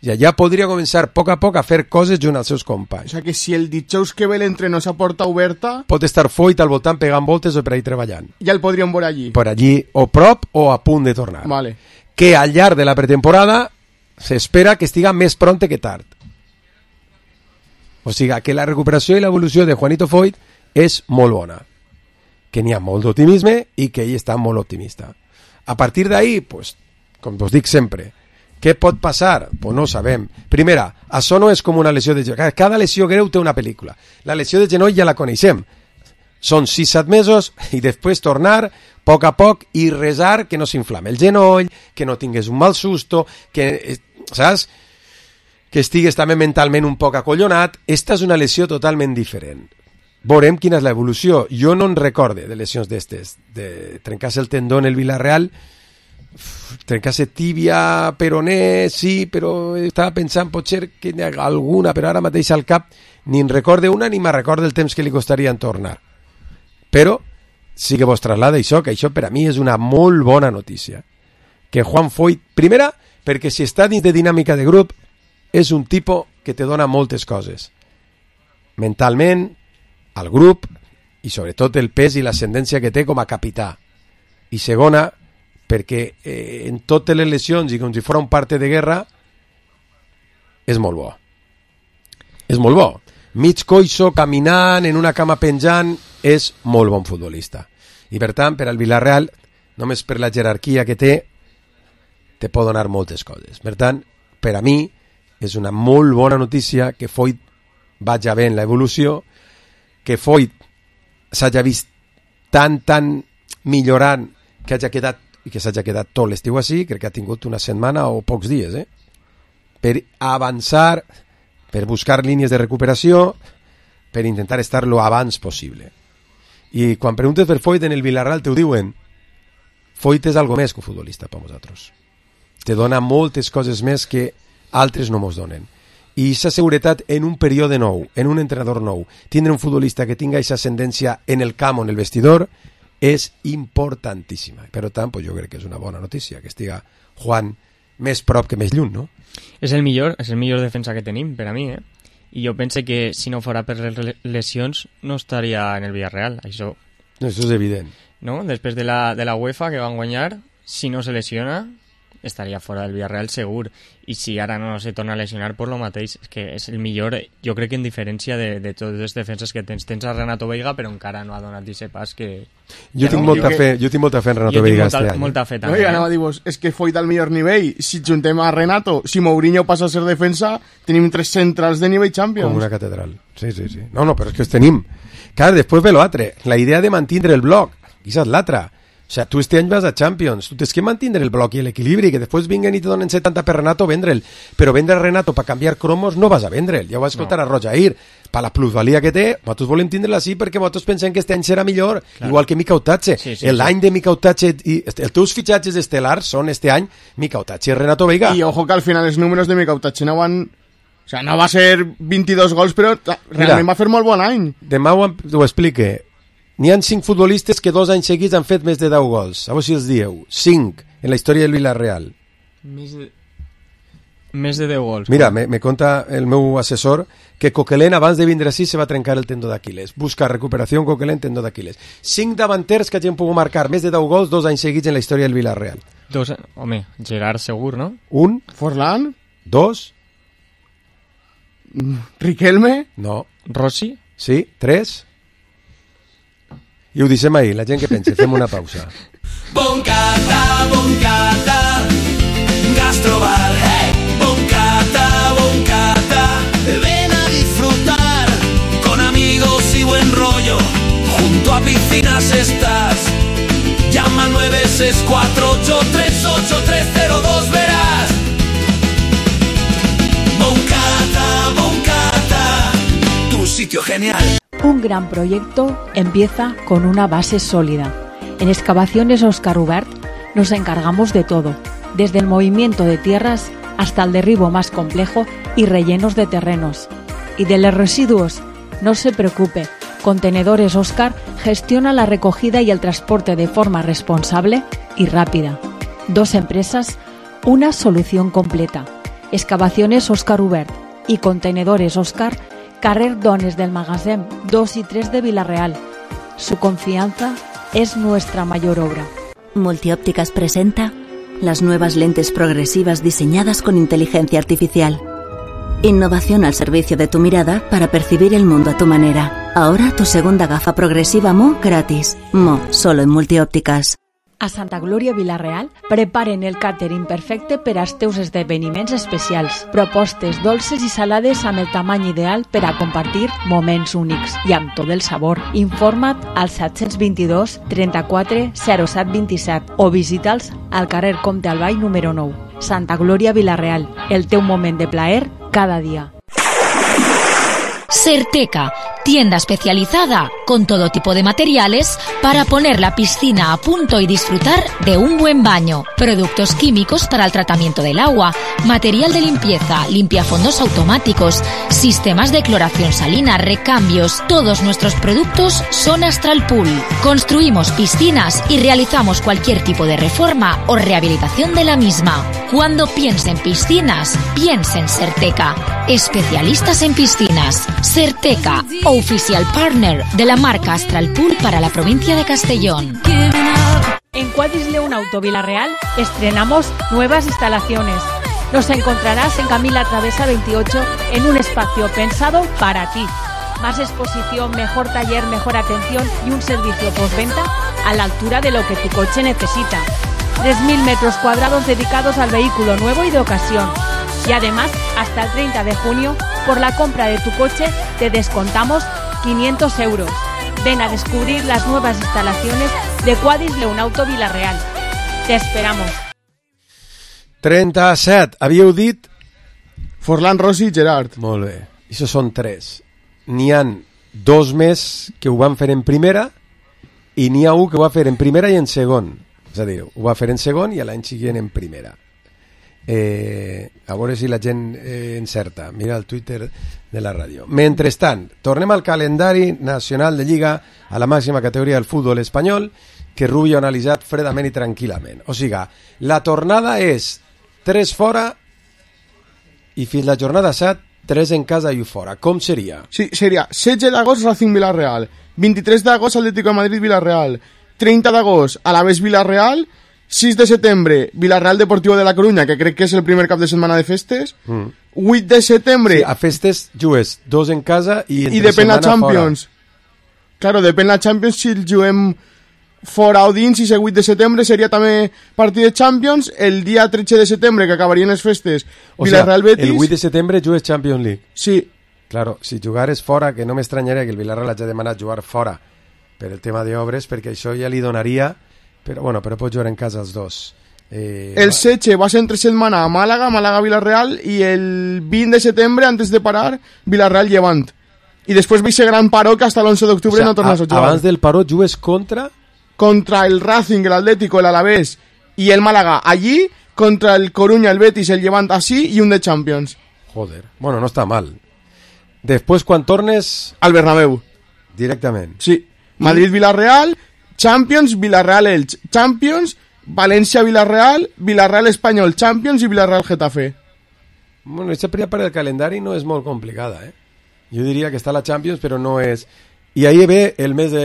Ja, ja podria començar a poc a poc a fer coses junt als seus companys. O sea que si el dijous que ve l'entrenó s'ha porta oberta... Pot estar Foyth al voltant pegant voltes o per ahí treballant. Ja el podríem veure allí. Per allí, o prop o a punt de tornar. Vale. Que al llarg de la pretemporada s'espera que estiga més pronte que tard. O sigui, que la recuperació i l'evolució de Juanito Foyth és molt bona. Que n'hi ha molt d'optimisme i que ell està molt optimista. A partir d'ahí, pues, com vos dic sempre, què pot passar? Pues no ho sabem. Primera, això no és com una lesió de genoll. Cada lesió greu té una pel·lícula. La lesió de genoll ja la coneixem. Són sis set mesos i després tornar a poc a poc i resar que no s'inflame el genoll, que no tingués un mal susto, que, saps? Que estigues també mentalment un poc acollonat. Esta és una lesió totalment diferent. Veurem quina és l'evolució. Jo no en recorde de lesions d'estes. De trencar-se el tendó en el Villarreal, trencar-se tíbia, peroné, sí, però estava pensant potser que n'hi ha alguna, però ara mateix al cap ni en recorde una ni me'n recorde el temps que li costaria en tornar. Però sí que vos traslada això, que això per a mi és una molt bona notícia. Que Juan Foyth, primera, perquè si està dins de dinàmica de grup, és un tipus que te dona moltes coses. Mentalment, al grup, i sobretot el pes i l'ascendència que té com a capità. I segona, perquè eh, en totes les lesions i com si fos un parte de guerra, és molt bo. És molt bo. Mig coixo, caminant, en una cama penjant, és molt bon futbolista. I per tant, per al Villarreal, només per la jerarquia que té, te pot donar moltes coses. Per tant, per a mi, és una molt bona notícia que Foyth vaja bé en l'evolució, que Foyth s'hagi vist tan, tan millorant que hagi quedat, i que s'hagi quedat tot l'estiu així, crec que ha tingut una setmana o pocs dies, eh? Per avançar, per buscar línies de recuperació, per intentar estar lo abans possible. I quan preguntes per Foyth en el Villarreal te ho diuen, Foyth és algo més que un futbolista per vosaltres. Te dona moltes coses més que altres no mos donen. I aquesta seguretat en un període nou, en un entrenador nou, tindre un futbolista que tinga aquesta ascendència en el camp o en el vestidor és importantíssima. Per tant, pues jo crec que és una bona notícia que estiga Juan més prop que més lluny, no? És el millor, és el millor defensa que tenim, per a mi, eh? I jo pense que si no fora per les lesions no estaria en el Villarreal, això. Això és evident. No? Després de la, de la UEFA que van guanyar, si no se lesiona, estaria fora del Villarreal segur. I si ara no se torna a lesionar, per lo mateix, és que és el millor, jo crec que en diferència de, de totes les defenses que tens. Tens a Renato Veiga, però encara no ha donat aquest pas que... Jo tinc, no, molta, fe, jo tinc molta fe en Renato Veiga molta, este any. Molta fe també. No, ja anava a dir-vos, és que Foyth al millor nivell. Si juntem a Renato, si Mourinho passa a ser defensa, tenim tres centrals de nivell Champions. Com una catedral. Sí, sí, sí. No, no, però és que els tenim. Clar, després ve l'altre. La idea de mantenir el bloc. Aquesta és l'altra. O sea, tu este any vas a Champions, tu tens que mantenir el bloc i l'equilibri, que després vinguen i te donen setanta per Renato, vendre'l. Però vendre a Renato per canviar cromos no vas a vendre'l. Ja ho vas escoltar no. a Rojair. Per la plusvalia que té, nosaltres volem tindre-la així perquè nosaltres pensem que este any serà millor, claro. Igual que Mika Otache. Sí, sí, L'any sí. de Mika Otache, i els teus fitxatges estel·lars són este any Mika Otache i Renato Veiga. I ojo que al final els números de Mika Otache no van... O sea, no va ser vint-i-dos gols, però realment Mira, va fer molt bon any. Demà ho, ho explique. N'hi ha cinc futbolistes que dos anys seguits han fet més de deu gols. A veure si els dieu. Cinc en la història del Villarreal. Més de, més de deu gols. Mira, me, me conta el meu assessor que Coquelin abans de vindre així se va trencar el tendó d'Aquiles. Busca recuperació Coquelin, tendó d'Aquiles. Cinc davanters que hagin pogut marcar més de deu gols dos anys seguits en la història del Villarreal. Dos, home, Gerard segur, no? Un. Forlán. Dos. Riquelme. No. Rossi. Sí. Tres. I ho deixem ahir, la gent que pensa, fem una pausa. Boncata, boncata, gastrobar, hey. Boncata, boncata, ven a disfrutar, con amigos y buen rollo, junto a piscinas estás, llama al nueve seis cuatro ocho tres ocho tres cero dos, verás. Boncata, boncata, tu sitio genial. Un gran proyecto empieza con una base sólida. En Excavaciones Óscar Ubert nos encargamos de todo, desde el movimiento de tierras hasta el derribo más complejo y rellenos de terrenos. Y de los residuos, no se preocupe, Contenedores Óscar gestiona la recogida y el transporte de forma responsable y rápida. Dos empresas, una solución completa. Excavaciones Óscar Ubert y Contenedores Óscar, carrer Dones del Magasin dos y tres de Villarreal. Su confianza es nuestra mayor obra. Multiópticas presenta las nuevas lentes progresivas diseñadas con inteligencia artificial. Innovación al servicio de tu mirada para percibir el mundo a tu manera. Ahora tu segunda gafa progresiva Mo gratis. Mo, solo en Multiópticas. A Santa Glòria Vila-real preparen el càtering perfecte per als teus esdeveniments especials. Propostes dolces i salades amb el tamany ideal per a compartir moments únics i amb tot el sabor. Informa't al set dos dos, trenta-quatre, zero set vint-i-set o visita'ls al carrer Comte Albay número nou. Santa Glòria Vila-real, el teu moment de plaer cada dia. Certeca, tienda especializada con todo tipo de materiales para poner la piscina a punto y disfrutar de un buen baño. Productos químicos para el tratamiento del agua, material de limpieza, limpiafondos automáticos, sistemas de cloración salina, recambios. Todos nuestros productos son Astral Pool. Construimos piscinas y realizamos cualquier tipo de reforma o rehabilitación de la misma. Cuando piense en piscinas, piense en Certeca. Especialistas en piscinas. Certeca, oficial partner de la marca Astral Pool para la provincia de Castellón. En Cuadrisleu Auto Vila-real estrenamos nuevas instalaciones. Nos encontrarás en Camila Travesa veintiocho en un espacio pensado para ti. Más exposición, mejor taller, mejor atención y un servicio postventa a la altura de lo que tu coche necesita. tres mil metros cuadrados dedicados al vehículo nuevo y de ocasión. Y además, hasta el treinta de junio, por la compra de tu coche, te descontamos quinientos euros. Ven a descubrir las nuevas instalaciones de Cuadrisleu Auto Vila-real. Te esperamos. trenta-set. Havíeu dit? Forlán, Rossi i Gerard. Molt bé. Això són tres. N'hi han dos més que ho van fer en primera i n'hi ha un que ho va fer en primera i en segon. És a dir, ho va fer en segon i l'any següent en primera. Eh, a veure si la gent eh, encerta. Mira el Twitter de la ràdio. Mentrestant, tornem al calendari nacional de Lliga, a la màxima categoria del futbol espanyol, que Rubio ha analitzat fredament i tranquil·lament. O sigui, la tornada és tres fora i fins la jornada set tres en casa i u fora. Com seria? Sí, seria setze d'agost Racing Vila-real, vint-i-tres d'agost Atlético de Madrid Vila-real, treinta d'agost Alavés Vila-real, sis de setembre Vila-real Deportivo de la Coruña, que crec que és el primer cap de setmana de festes, mm. vuit de setembre... Sí, a festes jugues dos en casa i entre i depèn la Champions. Fora. Claro, depèn la Champions si el juguem fora o dins, i el vuit de setembre seria també partit de Champions. El dia tretze de setembre, que acabarien les festes, o Vila-real sea, Betis... el vuit de setembre jugues Champions League. Sí. Claro, si jugares fora, que no m'estranyaria que el Villarreal hagi demanat jugar fora per el tema d'obres, perquè això ja li donaria... Però, bueno, però pots jugar en casa els dos. Eh, el setze va ser entre setmana a Màlaga, Màlaga-Villarreal, i el vint de setembre, antes de parar, Villarreal-Llevant. I després va ser gran paró que hasta l'onze d'octubre o sea, no tornes a, a jugar. Abans del paró jugues contra... Contra el Racing, el Atlético, el Alavés i el Màlaga allí, contra el Coruña, el Betis, el Llevant así, i un de Champions. Joder, bueno, no està mal. Després, quan tornes... Al Bernabéu. Directament. Sí, Madrid-Villarreal... Champions, Villarreal-Elx, Champions, València-Villarreal, Villarreal-Espanyol, Champions i Villarreal-Getafe. Bueno, aquesta primera part del calendari no és molt complicada, eh? Jo diria que està la Champions, però no és... I ahí ve el mes de...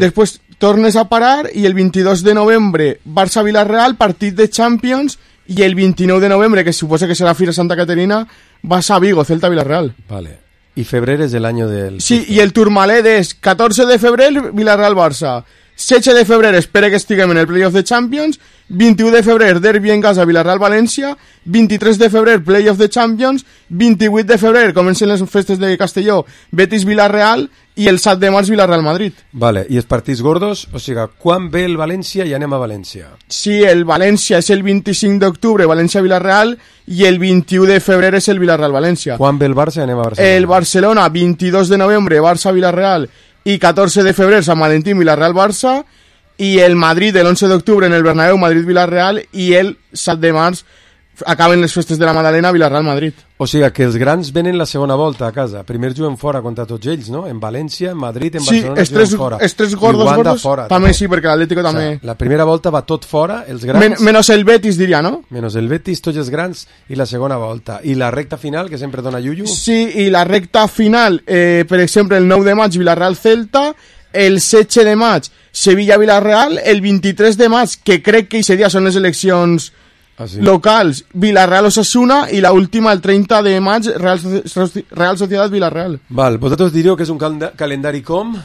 Després tornes a parar i el vint-i-dos de novembre Barça-Villarreal, partit de Champions, i el vint-i-nou de novembre, que suposa que serà Fira Santa Caterina, vas a Vigo, Celta-Villarreal. Vale. I febrer és l'any del... Sí, i el Tourmalet és catorze de febrer Villarreal-Barça, setze de febrer espera que estiguem en el playoff de Champions, vint-i-u de febrer derbi en casa Villarreal-València, vint-i-tres de febrer playoff de Champions, vint-i-vuit de febrer comencen les festes de Castelló, Betis-Villarreal, i el set de març Villarreal-Madrid. Vale, i els partits gordos, o sigui, quan ve el València i anem a València? Sí, el València és el vint-i-cinc d'octubre, València-Villarreal, i el vint-i-u de febrer és el Villarreal-València. Quan ve el Barça i anem a Barcelona? El Barcelona, vint-i-dos de novembre, Barça-Villarreal, i catorze de febrer Sant Valentín, Villarreal-Barça, i el Madrid l'onze d'octubre en el Bernabéu, Madrid-Villarreal, i el set de març acaben les festes de la Madalena, Villarreal-Madrid. O sigui que els grans venen la segona volta a casa. Primer juguen fora contra tots ells, no? En València, en Madrid, en sí, Barcelona estres, juguen fora. Sí, els tres gordos, gordos fora, també, també sí, perquè l'Atlético també... O sea, la primera volta va tot fora, els grans... Men menos el Betis, diria, no? Menos el Betis, tots els grans, i la segona volta. I la recta final, que sempre dona Yuyu? Sí, i la recta final, eh, per exemple, el nou de maig, Villarreal-Celta, el setze de maig, Sevilla-Villarreal, el vint-i-tres de maig, que crec que aquest dia són les eleccions ah, sí? locals, Villarreal-Osasuna, i la última, el treinta de maig, Real, Real Sociedad-Villarreal. Val, vosaltres diríeu que és un cal calendari com?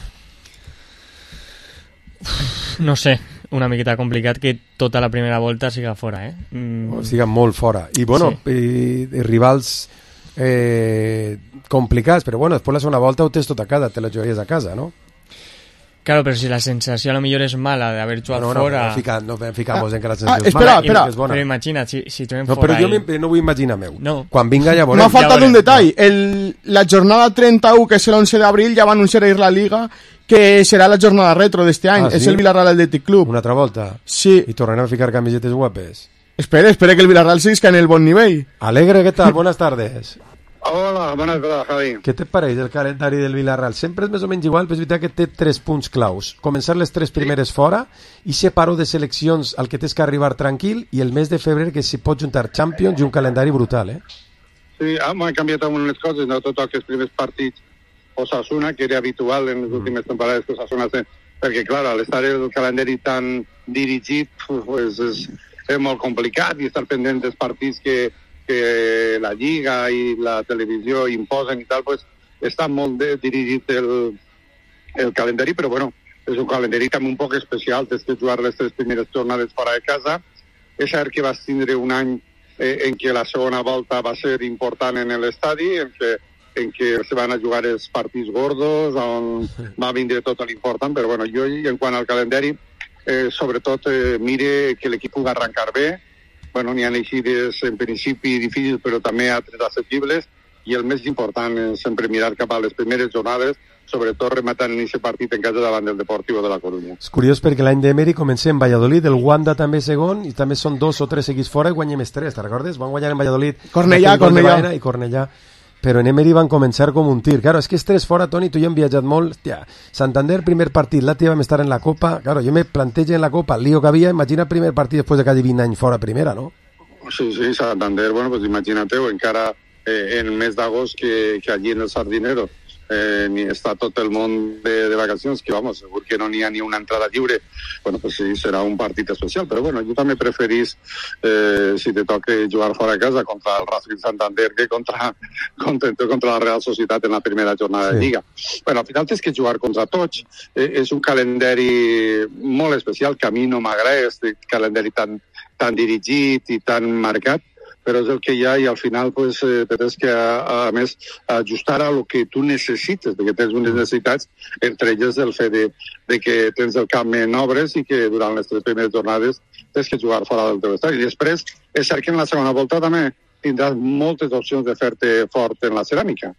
No sé, una miqueta complicat que tota la primera volta siga fora, eh? Mm. O siga molt fora. I, bueno, sí. i, i rivals eh, complicats, però, bueno, després la segona volta ho tens tot a casa, te la jugaries a casa, no? Claro, pero si la sensación a lo mejor es mala de haber jugado no, no, fuera... No, fica, no ficamos ah, en que la sensació ah, és espera, mala espera. i és bona. Però imagina, si, si juguem no, fora... Però jo i... no vull imaginar meu. No. Quan vinga ja veurem. M'ha faltat ja un detall. El, la jornada trenta-u, que és l'onze d'abril, ja va anunciar ahir la Liga que serà la jornada retro d'este any. Ah, sí? És el Villarreal Athletic Club. Una altra volta? Sí. I tornarem a ficar camisetes guapes. Espera, espera que el Villarreal siga en el bon nivell. Alegre, ¿qué tal? Buenas tardes. Hola, bones tardes, Javi. Què te pareix el calendari del Villarreal? Sempre és més o menys igual, però és veritat que té tres punts claus. Començar les tres primeres fora i separo de seleccions al que tens que arribar tranquil i el mes de febrer que s'hi pot juntar Champions i un calendari brutal, eh? Sí, han canviat algunes coses, no tot aquests primers partits Osasuna, que era habitual en les últimes temporades que Osasuna té, perquè, clar, al estar el calendari tan dirigit, pues, és, és molt complicat i estar pendent dels partits que que la Lliga i la televisió imposen i tal, pues, està molt de, dirigit el, el calendari, però bueno, és un calendari també un poc especial, tens que jugar les tres primeres jornades fora de casa. És cert que vas tindre un any eh, en què la segona volta va ser important en l'estadi, en què, en què se van a jugar els partits gordos, on va vindre tot l'important, però bueno, jo, en quant al calendari, eh, sobretot eh, mire que l'equip pugui arrencar bé. Bueno, n'hi ha eixides en principi difícils, però també altres assequibles, i el més important és sempre mirar cap a les primeres jornades, sobretot rematant en aquest partit en casa davant del Deportivo de la Coruña. És curiós perquè l'any d'Emery comencem en Valladolid, el Wanda també segon, i també són dos o tres seguits fora i guanyem els tres, te'n recordes? Van guanyar en Valladolid, Cornellà, Cornellà. i Cornellà, però en Emery van començar com un tir. Claro, és que els tres fora, Toni, tu i jo hem viatjat molt. Hòstia, Santander, primer partit, l'altre vam estar en la Copa. Claro, jo me plantejo en la Copa el lío que havia, imagina primer partit després de quasi vint anys fora primera, no? Sí, sí, Santander, bueno, pues imagínate-ho, encara eh, en el mes d'agost que, que allí en el Sardinero eh, ni està tot el món de, de vacacions, que vamos, segur que no n'hi ha ni una entrada lliure, bueno, pues sí, serà un partit especial, però bueno, jo també preferís, eh, si te toca jugar fora de casa contra el Racing Santander que contra, contra, contra la Real Societat en la primera jornada sí. de Lliga. Bueno, al final tens que jugar contra tots, eh, és un calendari molt especial, que a mi no m'agrada, este calendari tan tan dirigit i tan marcat, però és el que hi ha i al final pues, eh, tens que, a, a més, ajustar a lo que tu necessites, perquè tens unes necessitats, entre elles el fet de, de que tens el camp en obres i que durant les tres primeres jornades tens que jugar fora del teu estadi. I després, és cert que en la segona volta també tindràs moltes opcions de fer-te fort en la ceràmica.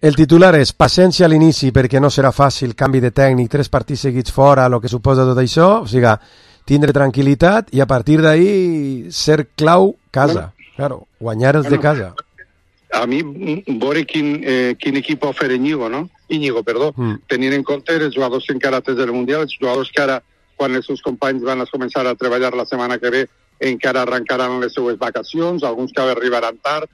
El titular és paciència a l'inici perquè no serà fàcil, canvi de tècnic, tres partits seguits fora, el que suposa tot això, o sigui, tindre tranquil·litat i a partir d'ahí ser clau casa, bueno, claro, guanyar els bueno, de casa. A mi, veure quin, eh, quin equip ofereix Íñigo, no? Íñigo, perdó, mm. tenint en compte els jugadors que encara tens del Mundial, els jugadors que ara, quan els seus companys van a començar a treballar la setmana que ve, encara arrencaran les seues vacacions, alguns que arribaran tard.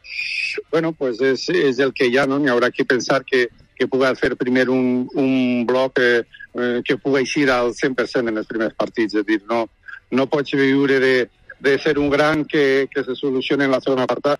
Bueno, pues és, és el que hi ha, no? N'hi haurà que pensar que que pugui fer primer un, un bloc eh, eh, que pugui eixir al cent per cent en els primers partits. És dir, no, no pots viure de, de ser un gran que, que se solucione en la segona volta,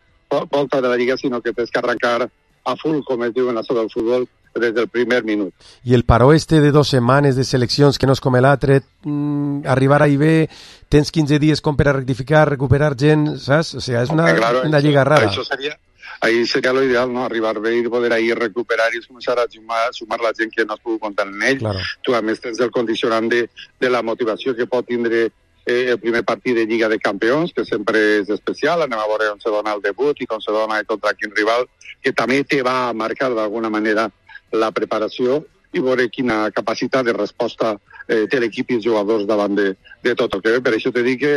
volta de la Lliga, sinó que tens que arrencar a full, com es diu en la zona del futbol, des del primer minut. I el paró este de dos setmanes de seleccions, que no és com l'altre, mm, arribar ahí bé, tens quinze dies com per a rectificar, recuperar gent, saps? O sigui, és una, okay, claro, una lliga rara. Això seria... Ahí sería lo ideal, ¿no? Arribar bé i poder ahí recuperar i començar a sumar, sumar la gent que no has pogut comptar en ell. Claro. Tu, a més, tens el condicionant de, de la motivació que pot tindre eh, el primer partit de Lliga de Campions, que sempre és especial. Anem a veure on se dona el debut i com se dona contra quin rival, que també te va marcar d'alguna manera la preparació i veure quina capacitat de resposta eh, té l'equip i els jugadors davant de, de tot el que ve. Per això te dic que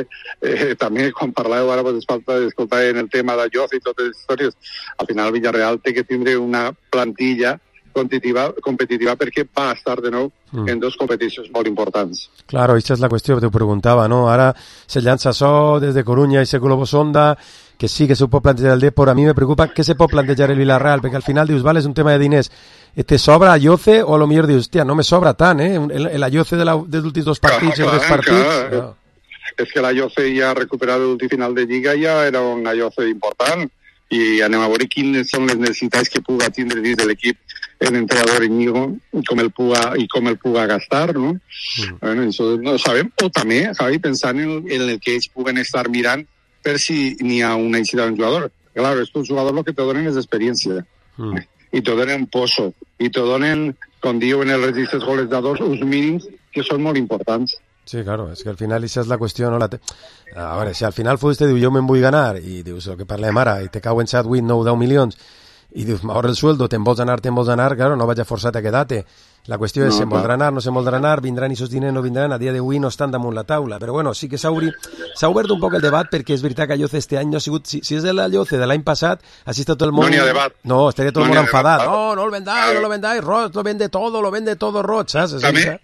eh, també quan parleu ara pues, falta d'escoltar en el tema de Joz i totes les històries, al final Villarreal té que tindre una plantilla competitiva, competitiva perquè va estar de nou mm. en dos competicions molt importants. Claro, aquesta és la qüestió que t'ho preguntava, no? Ara se llança això des de Coruña i se Globo Sonda, que sí que se pot plantejar el Depor. A mi me preocupa què se pot plantejar el Villarreal, perquè al final dius, vale, és un tema de diners, te sobra Ayoce o a lo millor dius, hòstia, no me sobra tant, eh? El, el Ayoce de la, dels últims dos partits, clar, els tres partits... Clar. Clar. És que l'Ayoce ja recuperat l'últim final de Lliga, ja era un Ayoce important, i anem a veure quines són les necessitats que pugui tindre dins de l'equip el entrenador Íñigo i com el puga, i com el puga gastar, no? Mm. Bueno, això no ho sabem. O també, Javi, pensant en, en el que ells puguen estar mirant per si n'hi ha una eixida d'un jugador. Claro, estos jugadors lo que te donen és experiència. Mm. I te donen pozo. I te donen, com diuen els registres goleadors, uns mínims que són molt importants. Sí, claro, es que al final esa es la cuestión, ¿no? La te... A veure, si al final futbolista diu jo me'n vull ganar i dius el que parlem ara i te cau en Chadwick nou deu milions i dius m'ahorra el sueldo, te'n vols anar, te'n vols anar, claro, no vaig a forçar-te a quedar-te. La qüestió és, no, se'n voldrà anar, no se'n voldrà anar, vindran i sos diners, no vindran, a dia d'avui no estan damunt la taula. Però bueno, sí que s'ha obert un poc el debat perquè és veritat que Ayoce este any no ha sigut... Si, si és l'Ayoce de l'any passat, així està tot el món... No n'hi ha debat. No, estaria tot el no món enfadat. Debat. No, no el vendáis, no lo vendáis, Roig, lo vende todo, lo vende todo, Roig, saps? També,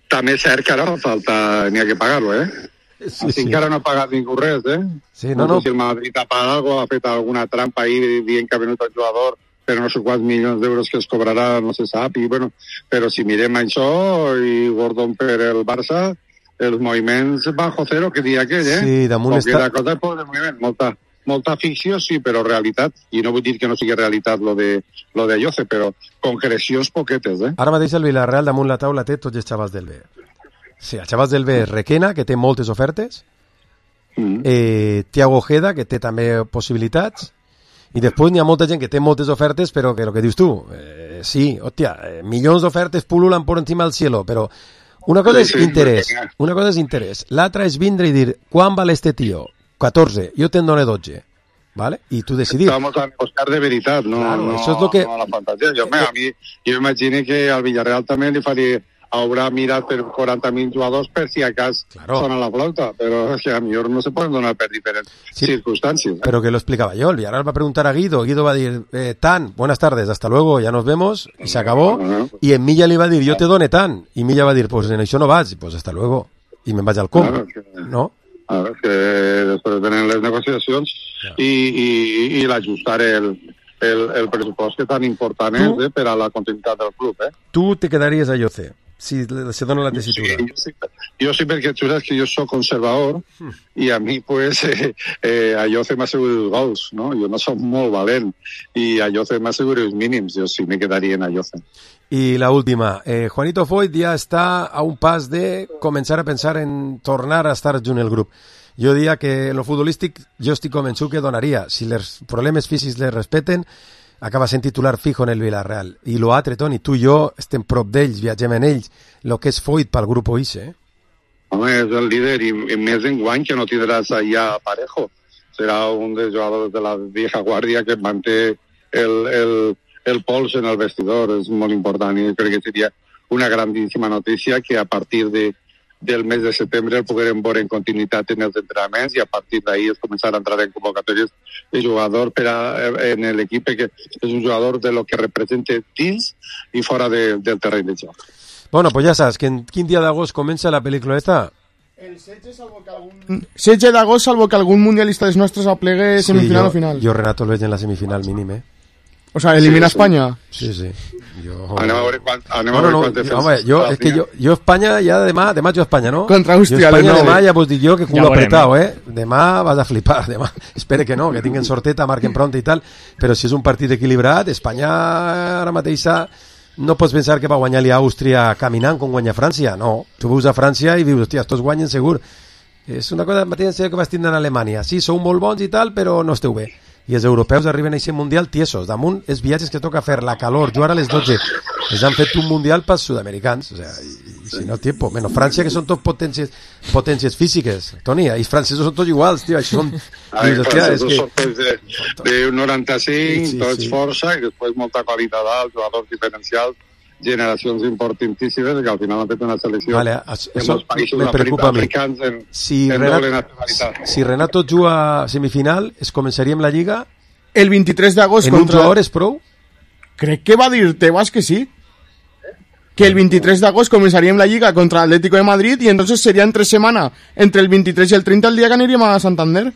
també és cert que ara falta, n'hi ha que pagar-lo, eh? Sí, sí. Encara no ha pagat ningú res, eh? Sí, no, no, no. Si el Madrid ha pagat alguna cosa, ha fet alguna trampa ahí dient que ha venut el jugador, però no sé quants milions d'euros que es cobrarà, no se sap, i bueno, però si mirem això i Gordon per el Barça, els moviments bajo cero, que dia aquell, eh? Sí, damunt està... La cosa és de moviment, molta, molta ficció, sí, però realitat, i no vull dir que no sigui realitat lo de, lo de Ayoce, però concrecions poquetes, eh? Ara mateix el Villarreal damunt la taula té tots els xavals del B. Sí, els xavals del B és Requena, que té moltes ofertes, mm. eh, Thiago Ojeda, que té també possibilitats, i després n'hi ha molta gent que té moltes ofertes, però que el que dius tu, eh, sí, hòstia, eh, milions d'ofertes pululan por encima del cielo, però una cosa és interès, una cosa és interès, l'altra és vindre i dir, quan val este tío? catorze, jo te'n dono dotze, ¿vale? I tu decidir. Vamos a negociar de veritat, no, claro, no, eso es lo que... no la fantasia. Jo, a mi, jo imagino que al Villarreal també li faria haurà mirat per quaranta mil jugadors per si acas claro. Sona la flauta, però que a millor no se poden donar per diferents sí, circunstàncies. ¿eh? Pero que lo explicaba yo, el Villarreal va a preguntar a Guido, Guido va a decir, eh, Tan, buenas tardes, hasta luego, ya nos vemos, y se acabó, no, no, pues, y en Milla le va a decir, yo te done Tan, y Milla va a decir, pues en això no vas, pues hasta luego, y me vaig al com, claro, que, ¿no? Claro, que després venen les negociacions claro. i, i, i l'ajustar el, el, el pressupost que tan important és eh, per a la continuïtat del club. Eh? Tu te quedaries a Ayoce, si se dona la tesitura. Sí, jo, sí, jo sí, perquè tu saps que jo soc conservador hmm. i a mi, pues, eh, eh, Ayoce m'assegura els gols, no? Jo no soc molt valent i Ayoce m'assegura els mínims, jo sí me quedaria en Ayoce. Y la última, eh, Juanito Foyt ya está a un pas de comenzar a pensar en tornar a estar junt el grup. Jo diria que lo futbolístic jo estic convençut que donaria. Si els problemes físics les respeten, acaba sent titular fijo en el Villarreal. I lo altre, Toni, tu i jo estem prop d'ells, viatgem en ells, lo que és Foyt pel grup Oise. Eh? Home, és el líder i, i més enguany que no tindràs allà Parejo. Serà un dels jugadors de la vieja guàrdia que manté el... el el pols en el vestidor és molt important i crec que seria una grandíssima notícia que a partir de, del mes de setembre el puguem veure en continuïtat en els entrenaments i a partir d'ahí es començar a entrar en convocatòries de jugador per a, en l'equip que és un jugador de lo que representa dins i fora de, del terreny de joc. Bueno, pues ja saps que en quin dia d'agost comença la pel·lícula esta? El setze, salvo que algun... setze d'agost, salvo que algun mundialista dels nostres aplegue semifinal sí, jo, o final. Jo, Renato, el veig en la semifinal mínim, eh? O sea, elimina sí, España. Sí, sí. Yo... Anem a veure quan, anem no, a veure no, quan no, home, jo, és que jo, jo Espanya ja demà, demà jo Espanya, no? Contra Àustria, jo Espanya no, demà ja vos dic jo que culo ja apretado, eh? Demà vas a flipar, demà. Espere que no, que tinguen sorteta, marquen pronta i tal, però si és un partit equilibrat, Espanya ara mateix no pots pensar que va guanyar-li a Àustria caminant com guanya França, no. Tu veus a França i dius, hòstia, estos guanyen segur. És una cosa mateixa que vas tindre en Alemanya. Sí, sou molt bons i tal, però no esteu bé. I els europeus arriben a aquest mundial tiesos. Damunt els viatges que toca fer, la calor, jugar a les dotze. Els han fet un mundial pels sud-americans. O sea, i, i si no, tiempo. Menos França, que són tot potències, potències físiques. Toni, els francesos són tots iguals, tio. Això són... Ai, els francesos són tots de, de noranta-cinc, sí, tots sí. Força, i després molta qualitat alt, jugadors diferencials, generacions importantíssimes que al final han fet una selecció vale, en els països africans en, si en Renato, doble nacionalitat. Si Renato juga a semifinal, es començaria amb la Lliga el vint-i-tres d'agost en contra... un jugador és prou? Crec que va dir Tebas que sí. Que el vint-i-tres d'agost començaríem la Lliga contra l'Atlético de Madrid i entonces seria entre setmana, entre el vint-i-tres i el trenta el dia que aniríem a Santander.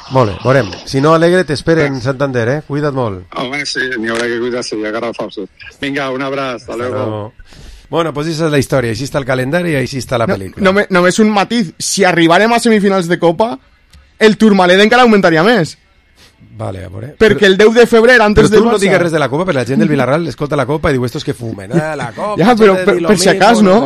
Molt bé, veurem. Si no, Alegre, t'esperen en Santander, eh? Cuida't molt. Home, sí, n'hi haurà que cuidar-se i agarrar forces. Vinga, un abraç, hasta luego. No. Bueno, pues esa es la historia. Així està el calendari i així està la no, pel·lícula. No, només un matiz. Si arribarem a semifinals de Copa, el Tourmalet encara augmentaria més. Vale, a veure. Perquè el deu de febrer, antes però del tu Barça... no digues res de la Copa, perquè la gent del Villarreal escolta la Copa i diu estos que fumen. Ah, la Copa... Ja, però per, per si acas, no?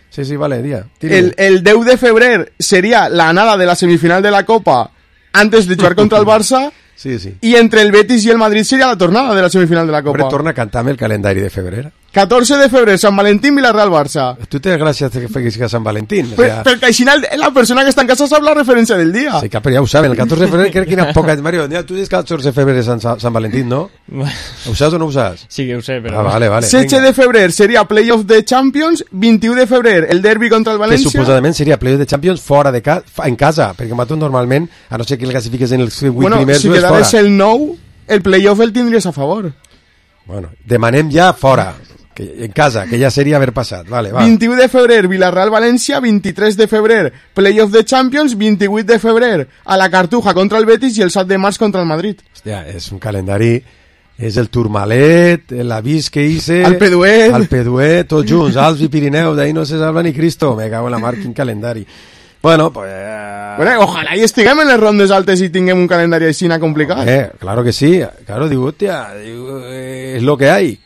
Sí, sí, vale, dia. El, el deu de febrer seria la anada de la semifinal de la Copa antes de jugar contra el Barça. Sí, sí. I entre el Betis i el Madrid seria la tornada de la semifinal de la Copa. Hombre, torna a cantar-me el calendari de febrer. catorze de febrer, Sant Valentín, Villarreal-Barça. Tu tens gràcies que feguis a Sant Valentín. Per, o sea... Perquè així la persona que està en casa sap la referència del dia. Sí, però ja ho saben. El catorze de febrer crec que era poca... Mario, tu dius catorze de febrer Sant, Sant Valentín, no? Ho saps o no ho saps? Sí que ho sé, però... Ah, vale, vale. setze de febrer seria Playoff de Champions, vint-i-u de febrer el derbi contra el València... Que suposadament seria Playoff de Champions fora de ca... en casa, perquè nosaltres normalment, a no ser que el classifiques en els vuit bueno, primers, si és fora. quedaves el nou, el playoff el tindries a favor. Bueno, demanem ja fora, que, en casa, que ja seria haver passat. Vale, va. vint-i-u de febrer, Villarreal-València, vint-i-tres de febrer, Playoff de Champions, vint-i-vuit de febrer, a la Cartuja contra el Betis i el set de març contra el Madrid. Hòstia, és un calendari... És el Tourmalet, l'avís que hice... El Peduet. El Peduet, tots junts, Alps i Pirineu, d'ahí no se salva ni Cristo. Me cago en la mar, quin calendari. Bueno, pues... Bueno, ojalà hi estiguem en les rondes altes i tinguem un calendari així complicat. Eh, claro que sí. Claro, digo, hostia, digo, eh, es lo que hay.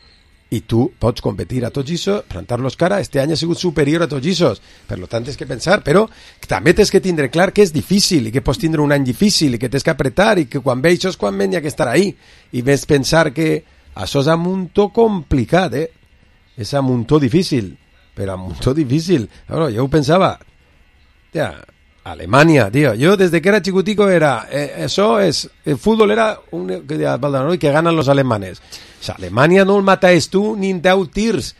I tu pots competir a tots això, plantar-los cara. Este any ha sigut superior a tots això. Per lo tant, tens que pensar, però també tens que tindre clar que és difícil i que pots tindre un any difícil i que tens que apretar i que quan ve això és quan ve hi ha que estar ahí. I ves pensar que això és un muntó complicat, eh? És un muntó difícil, però un muntó difícil. Bueno, jo ho pensava, ja, Alemanya, tío. Yo desde que era chiquitico era, eh, eso es, el fútbol era un que, de, que ganan los alemanes. O sea, Alemania no el matas tú ni en deu tirs.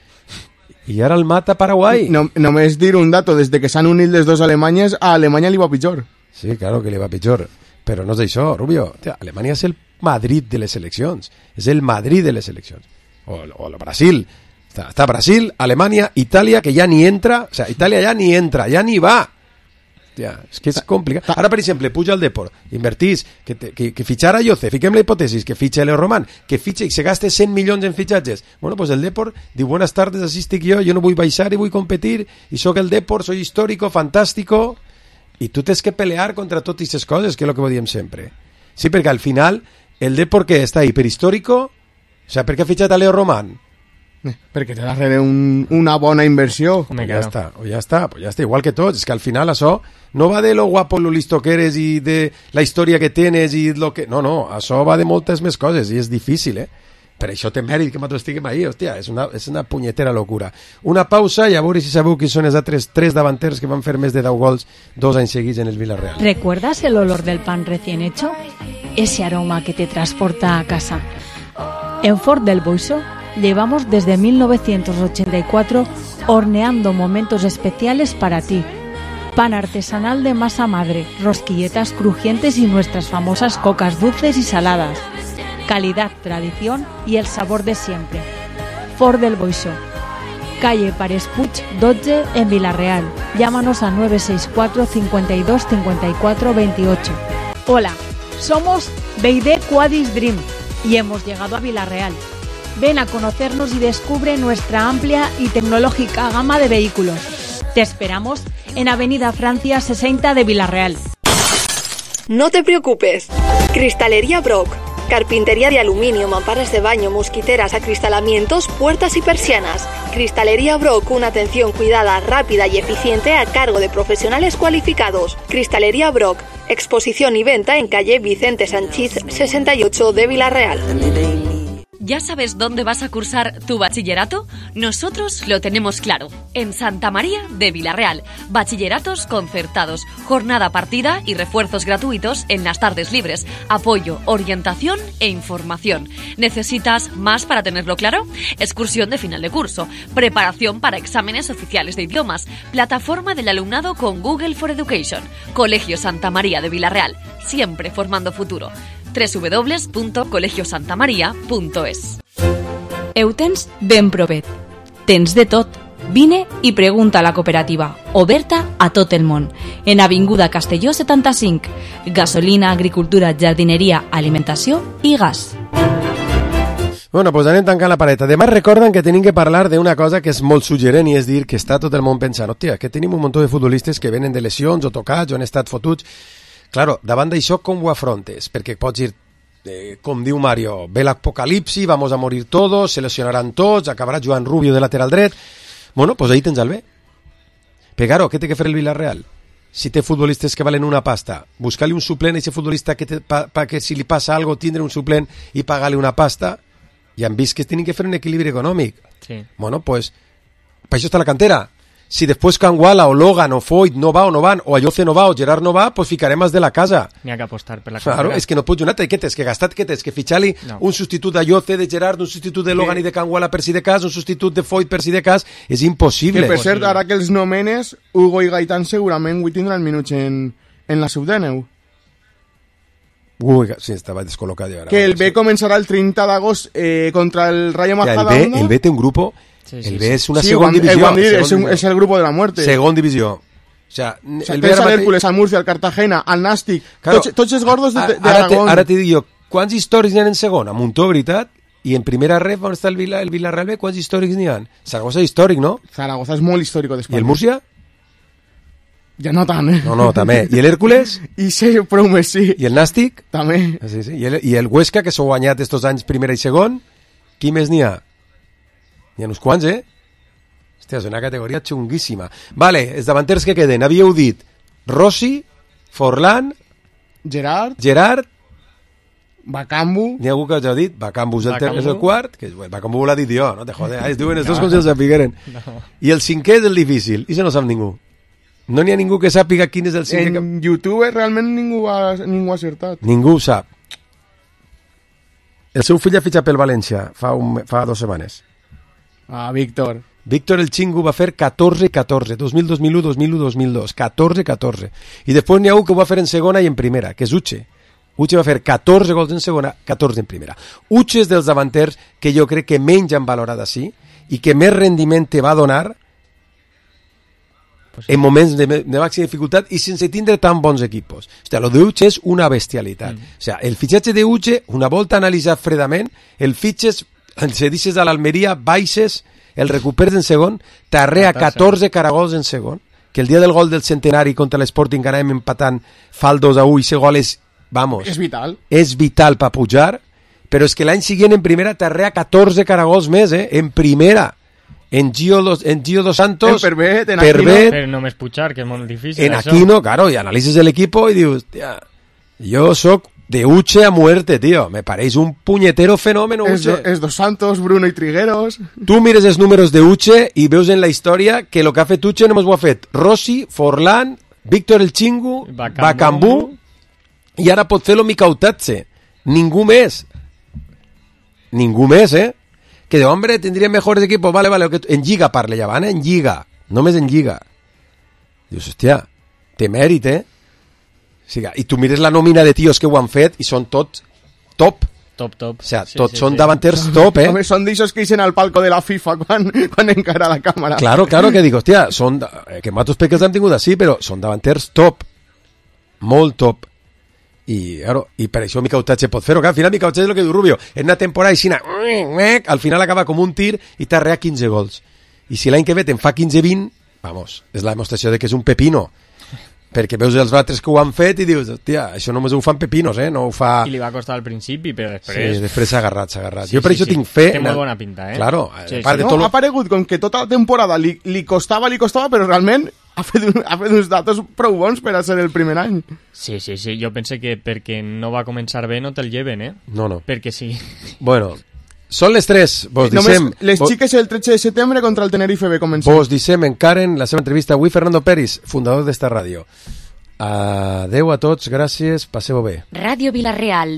I ara el mata Paraguai. No, només dir un dato, des que s'han unit les dues Alemanyes, a Alemanya li va pitjor. Sí, claro que li va pitjor. Però no és això, Rubio. Tia, Alemanya és el Madrid de les seleccions. És el Madrid de les seleccions. O, o el Brasil. Està, està Brasil, Alemanya, Itàlia, que ja ni entra. O sea, Itàlia ja ni entra, ja ni va. Ja, és que és complicat. Ara, per exemple, puja el Depor, invertís, que, te, que, que fitxara Yoce, fiquem la hipòtesis, que fitxa Leo Román, que fitxa i se gaste cent milions en fitxatges. Bueno, pues el Depor diu, buenas tardes, así estic jo, jo no vull baixar i vull competir, i soc el Depor, soy histórico, fantástico, i tu tens que pelear contra totes aquestes coses, que és el que diem sempre. Sí, perquè al final, el Depor que està ahí per històrico, o sea, per què ha fitxat a Leo Román? Eh, perquè té darrere un, una bona inversió. Pues ja està, o ja està, pues ja està, igual que tots. És que al final això no va de lo guapo, lo listo que eres i de la història que tienes i lo que... No, no, això va de moltes més coses i és difícil, eh? Per això té mèrit que nosaltres estiguem ahí, hòstia, és una, és una punyetera locura. Una pausa i a veure si sabeu qui són els altres tres davanters que van fer més de deu gols dos anys seguits en el Villarreal. ¿Recuerdas el olor del pan recién hecho? Ese aroma que te transporta a casa. En Ford del Boixó llevamos desde mil novecientos ochenta y cuatro horneando momentos especiales para ti. Pan artesanal de masa madre, rosquilletas crujientes y nuestras famosas cocas dulces y saladas. Calidad, tradición y el sabor de siempre. Ford del Boixó. Calle Pares Puig dotze en Villarreal. Llámanos a nueve seis cuatro, cincuenta y dos, cincuenta y cuatro, veintiocho. Hola, somos Beide Quadis Dream y hemos llegado a Villarreal. Ven a conocernos y descubre nuestra amplia y tecnológica gama de vehículos. Te esperamos en Avenida Francia sesenta de Villarreal. No te preocupes. Cristalería Brock. Carpintería de aluminio, mamparas de baño, mosquiteras, acristalamientos, puertas y persianas. Cristalería Brock, una atención cuidada, rápida y eficiente a cargo de profesionales cualificados. Cristalería Brock. Exposición y venta en calle Vicente Sanchís sesenta y ocho de Villarreal. ¿Ya sabes dónde vas a cursar tu bachillerato? Nosotros lo tenemos claro. En Santa María de Villarreal. Bachilleratos concertados, jornada partida y refuerzos gratuitos en las tardes libres. Apoyo, orientación e información. ¿Necesitas más para tenerlo claro? Excursión de final de curso. Preparación para exámenes oficiales de idiomas. Plataforma del alumnado con Google for Education. Colegio Santa María de Villarreal. Siempre formando futuro. doble u doble u doble u punto colegio santa maria punto es. Eutens ben provet. Tens de tot. Vine i pregunta a la cooperativa, oberta a tot el món. En Avinguda Castelló setanta-cinc. Gasolina, agricultura, jardineria, alimentació i gas. Bueno, pues anem tancant la pareta. Demà recorden que tenim que parlar d'una cosa que és molt suggerent i és dir que està tot el món pensant, hòstia, que tenim un munt de futbolistes que venen de lesions o tocats o han estat fotuts. Claro, davant d'això com ho afrontes? Perquè pots dir, eh, com diu Mario, ve l'apocalipsi, vamos a morir todos, se lesionarán tots, acabarà Joan Rubio de lateral dret. Bueno, pues ahí tens el B. Però claro, què té que fer el Villarreal? Si té futbolistes que valen una pasta, buscar-li un suplent a aquest futbolista que, te, pa, pa, que si li passa algo tindre un suplent i pagar-li una pasta, i han vist que tenen que fer un equilibri econòmic. Sí. Bueno, pues, per això està la cantera. Si després Canguala o Logan o Foyt no va o no van, o Ayoce no va o Gerard no va, pues ficarem els de la casa. N'hi ha que apostar per la Claro, cantera. és que no pots donar, què tens que gastar, què tens que fitxar-li No. un substitut d'Ayoce, de Gerard, un substitut de Logan i de Canguala per si de cas, un substitut de Foyt per si de cas, és impossible. Que per cert, ara que els nomenes, Hugo i Gaitán segurament avui tindran minuts en, en la sub-deu. Ui, sí, estava descol·locat ja. Que el B començarà el trenta d'agost eh, contra el Rayo Ja, el, B, Majadahonda. el B té un grupo, Sí, sí, el sí. B és una Sí, segona ho han- divisió. ho han dit, és segona un- és el grupo de la muerte. Segon divisió. O sea, O sea, el B tens ara al mateix- Hércules, al Murcia, al Cartagena, al Nàstic, Claro. tots, tots els gordos de, de, de Ara te- Aragón. Ara t'hi dic jo, quants històrics n'hi ha en segona? Muntó, veritat? I en primera ref, on està el, Vila, el Villarreal B, quants històrics n'hi ha? Zaragoza històric, no? Zaragoza és molt històric I d'Espanya. el Múrcia? Ja no tant, eh? No, no, també. I l'Hèrcules? I sí, prou més sí. I el Nàstic? També. Sí, sí. I, el, I el Huesca, que s'ha guanyat estos anys primera i segon? Qui més n'hi ha? N'hi ha uns quants, eh? Hòstia, és una categoria xunguíssima. Vale, els davanters que queden. Havíeu dit Rossi, Forlán, Gerard, Gerard, Bakambu. n'hi ha algú que us ha dit? Bakambu és el, ter- Bakambu. és el quart? Que, bueno, Bakambu l'ha dit jo, no te jode. Ah, es diuen els dos No. com si els sapigueren. No. I el cinquè és el difícil. I se no sap ningú. No n'hi ha ningú que sàpiga quin és el cinquè. En YouTube realment ningú ha, ningú ha acertat. Ningú ho sap. El seu fill ha fitxat pel València fa, un, fa dues setmanes. Ah, Víctor. Víctor el Xingu va fer catorze catorze, dos mil, dos mil u, dos mil u, dos mil dos, catorze catorze. I després n'hi ha un que ho va fer en segona i en primera, que és Uche. Uche va fer catorze gols en segona, catorze en primera. Uche és dels davanters que jo crec que menys han valorat així i que més rendiment te va donar en moments de, de màxima dificultat i sense tindre tan bons equipos. Hòstia, lo de Uche és una bestialitat. Mm. O sea, el fitxatge de Uche, una volta analitzat fredament, el fitxes, se deixes a l'Almeria, baixes, el recuperes en segon, t'arrea catorze caragols en segon, que el dia del gol del centenari contra l'Sporting anàvem empatant fa el dos a u i ese gol és, vamos, És vital. és vital per pujar, però és que l'any següent en primera t'arrea catorze caragols més, eh? En primera. En Gio dos, en Gio dos Santos, En Pervet, en Pervet, Aquino. Però només pujar, que és molt difícil. en això. Aquino, claro, y analices el equipo y dius, hostia, yo soc de Uche a muerte, tío. Me pareix un puñetero fenómeno, És, do, Uche. és Dos Santos, Bruno i Trigueros. Tu mires els números de Uche i veus en la història que el que ha fet Uche només ho ha fet Rossi, Forlán, Víctor el Xingu, Bakambu. Bakambu, i ara pot fer-lo Micautatge. Ningú més. Ningú més, eh? Que de hombre, tindrien mejores equipos, vale, vale, que en Lliga parle ja van, eh? En Lliga, només en Lliga. Dius, hòstia, té mèrit, eh? O sigui, i tu mires la nòmina de tios que ho han fet i són tots top. Top, top. O sea, Sí, tots sí, són sí. davanters top, eh? Home, són d'aixòs que eixen al palco de la FIFA quan, quan encara la càmera. Claro, claro, que dic, hòstia, són, eh, que matos peques han tingut així, però són davanters top. Molt top. I, claro, i per això Micautatge pot fer-ho. Al final Micautatge és el que diu Rubio. En una temporada així, al final acaba com un tir i t'arrea quinze gols. I si l'any que ve te'n fa quinze vint, vamos, és la demostració de que és un pepino. Perquè veus els altres que ho han fet i dius, hòstia, això només ho fan pepinos, eh? No ho fa... I li va costar al principi, però després... Sí, després s'ha agarrat, s'ha agarrat. Sí, jo per sí, això sí. tinc fe... Té en molt el- bona pinta, eh? Claro, Sí, a part sí. de No, tot lo- ha aparegut com que tota la temporada li, li costava, li costava, però realment ha fet, un, ha fet uns datos prou bons per a ser el primer any. Sí, sí, sí. Jo pense que perquè no va començar bé no te'l lleven, eh? No, no. Perquè sí. Bueno, són les tres. Vos Només dissem... les vos- xiques el tretze de setembre contra el Tenerife B comencen. Vos dissem encara en la seva entrevista avui Fernando Peris, fundador d'esta ràdio. Adeu a tots, gràcies, passeu bé. Radio Villarreal,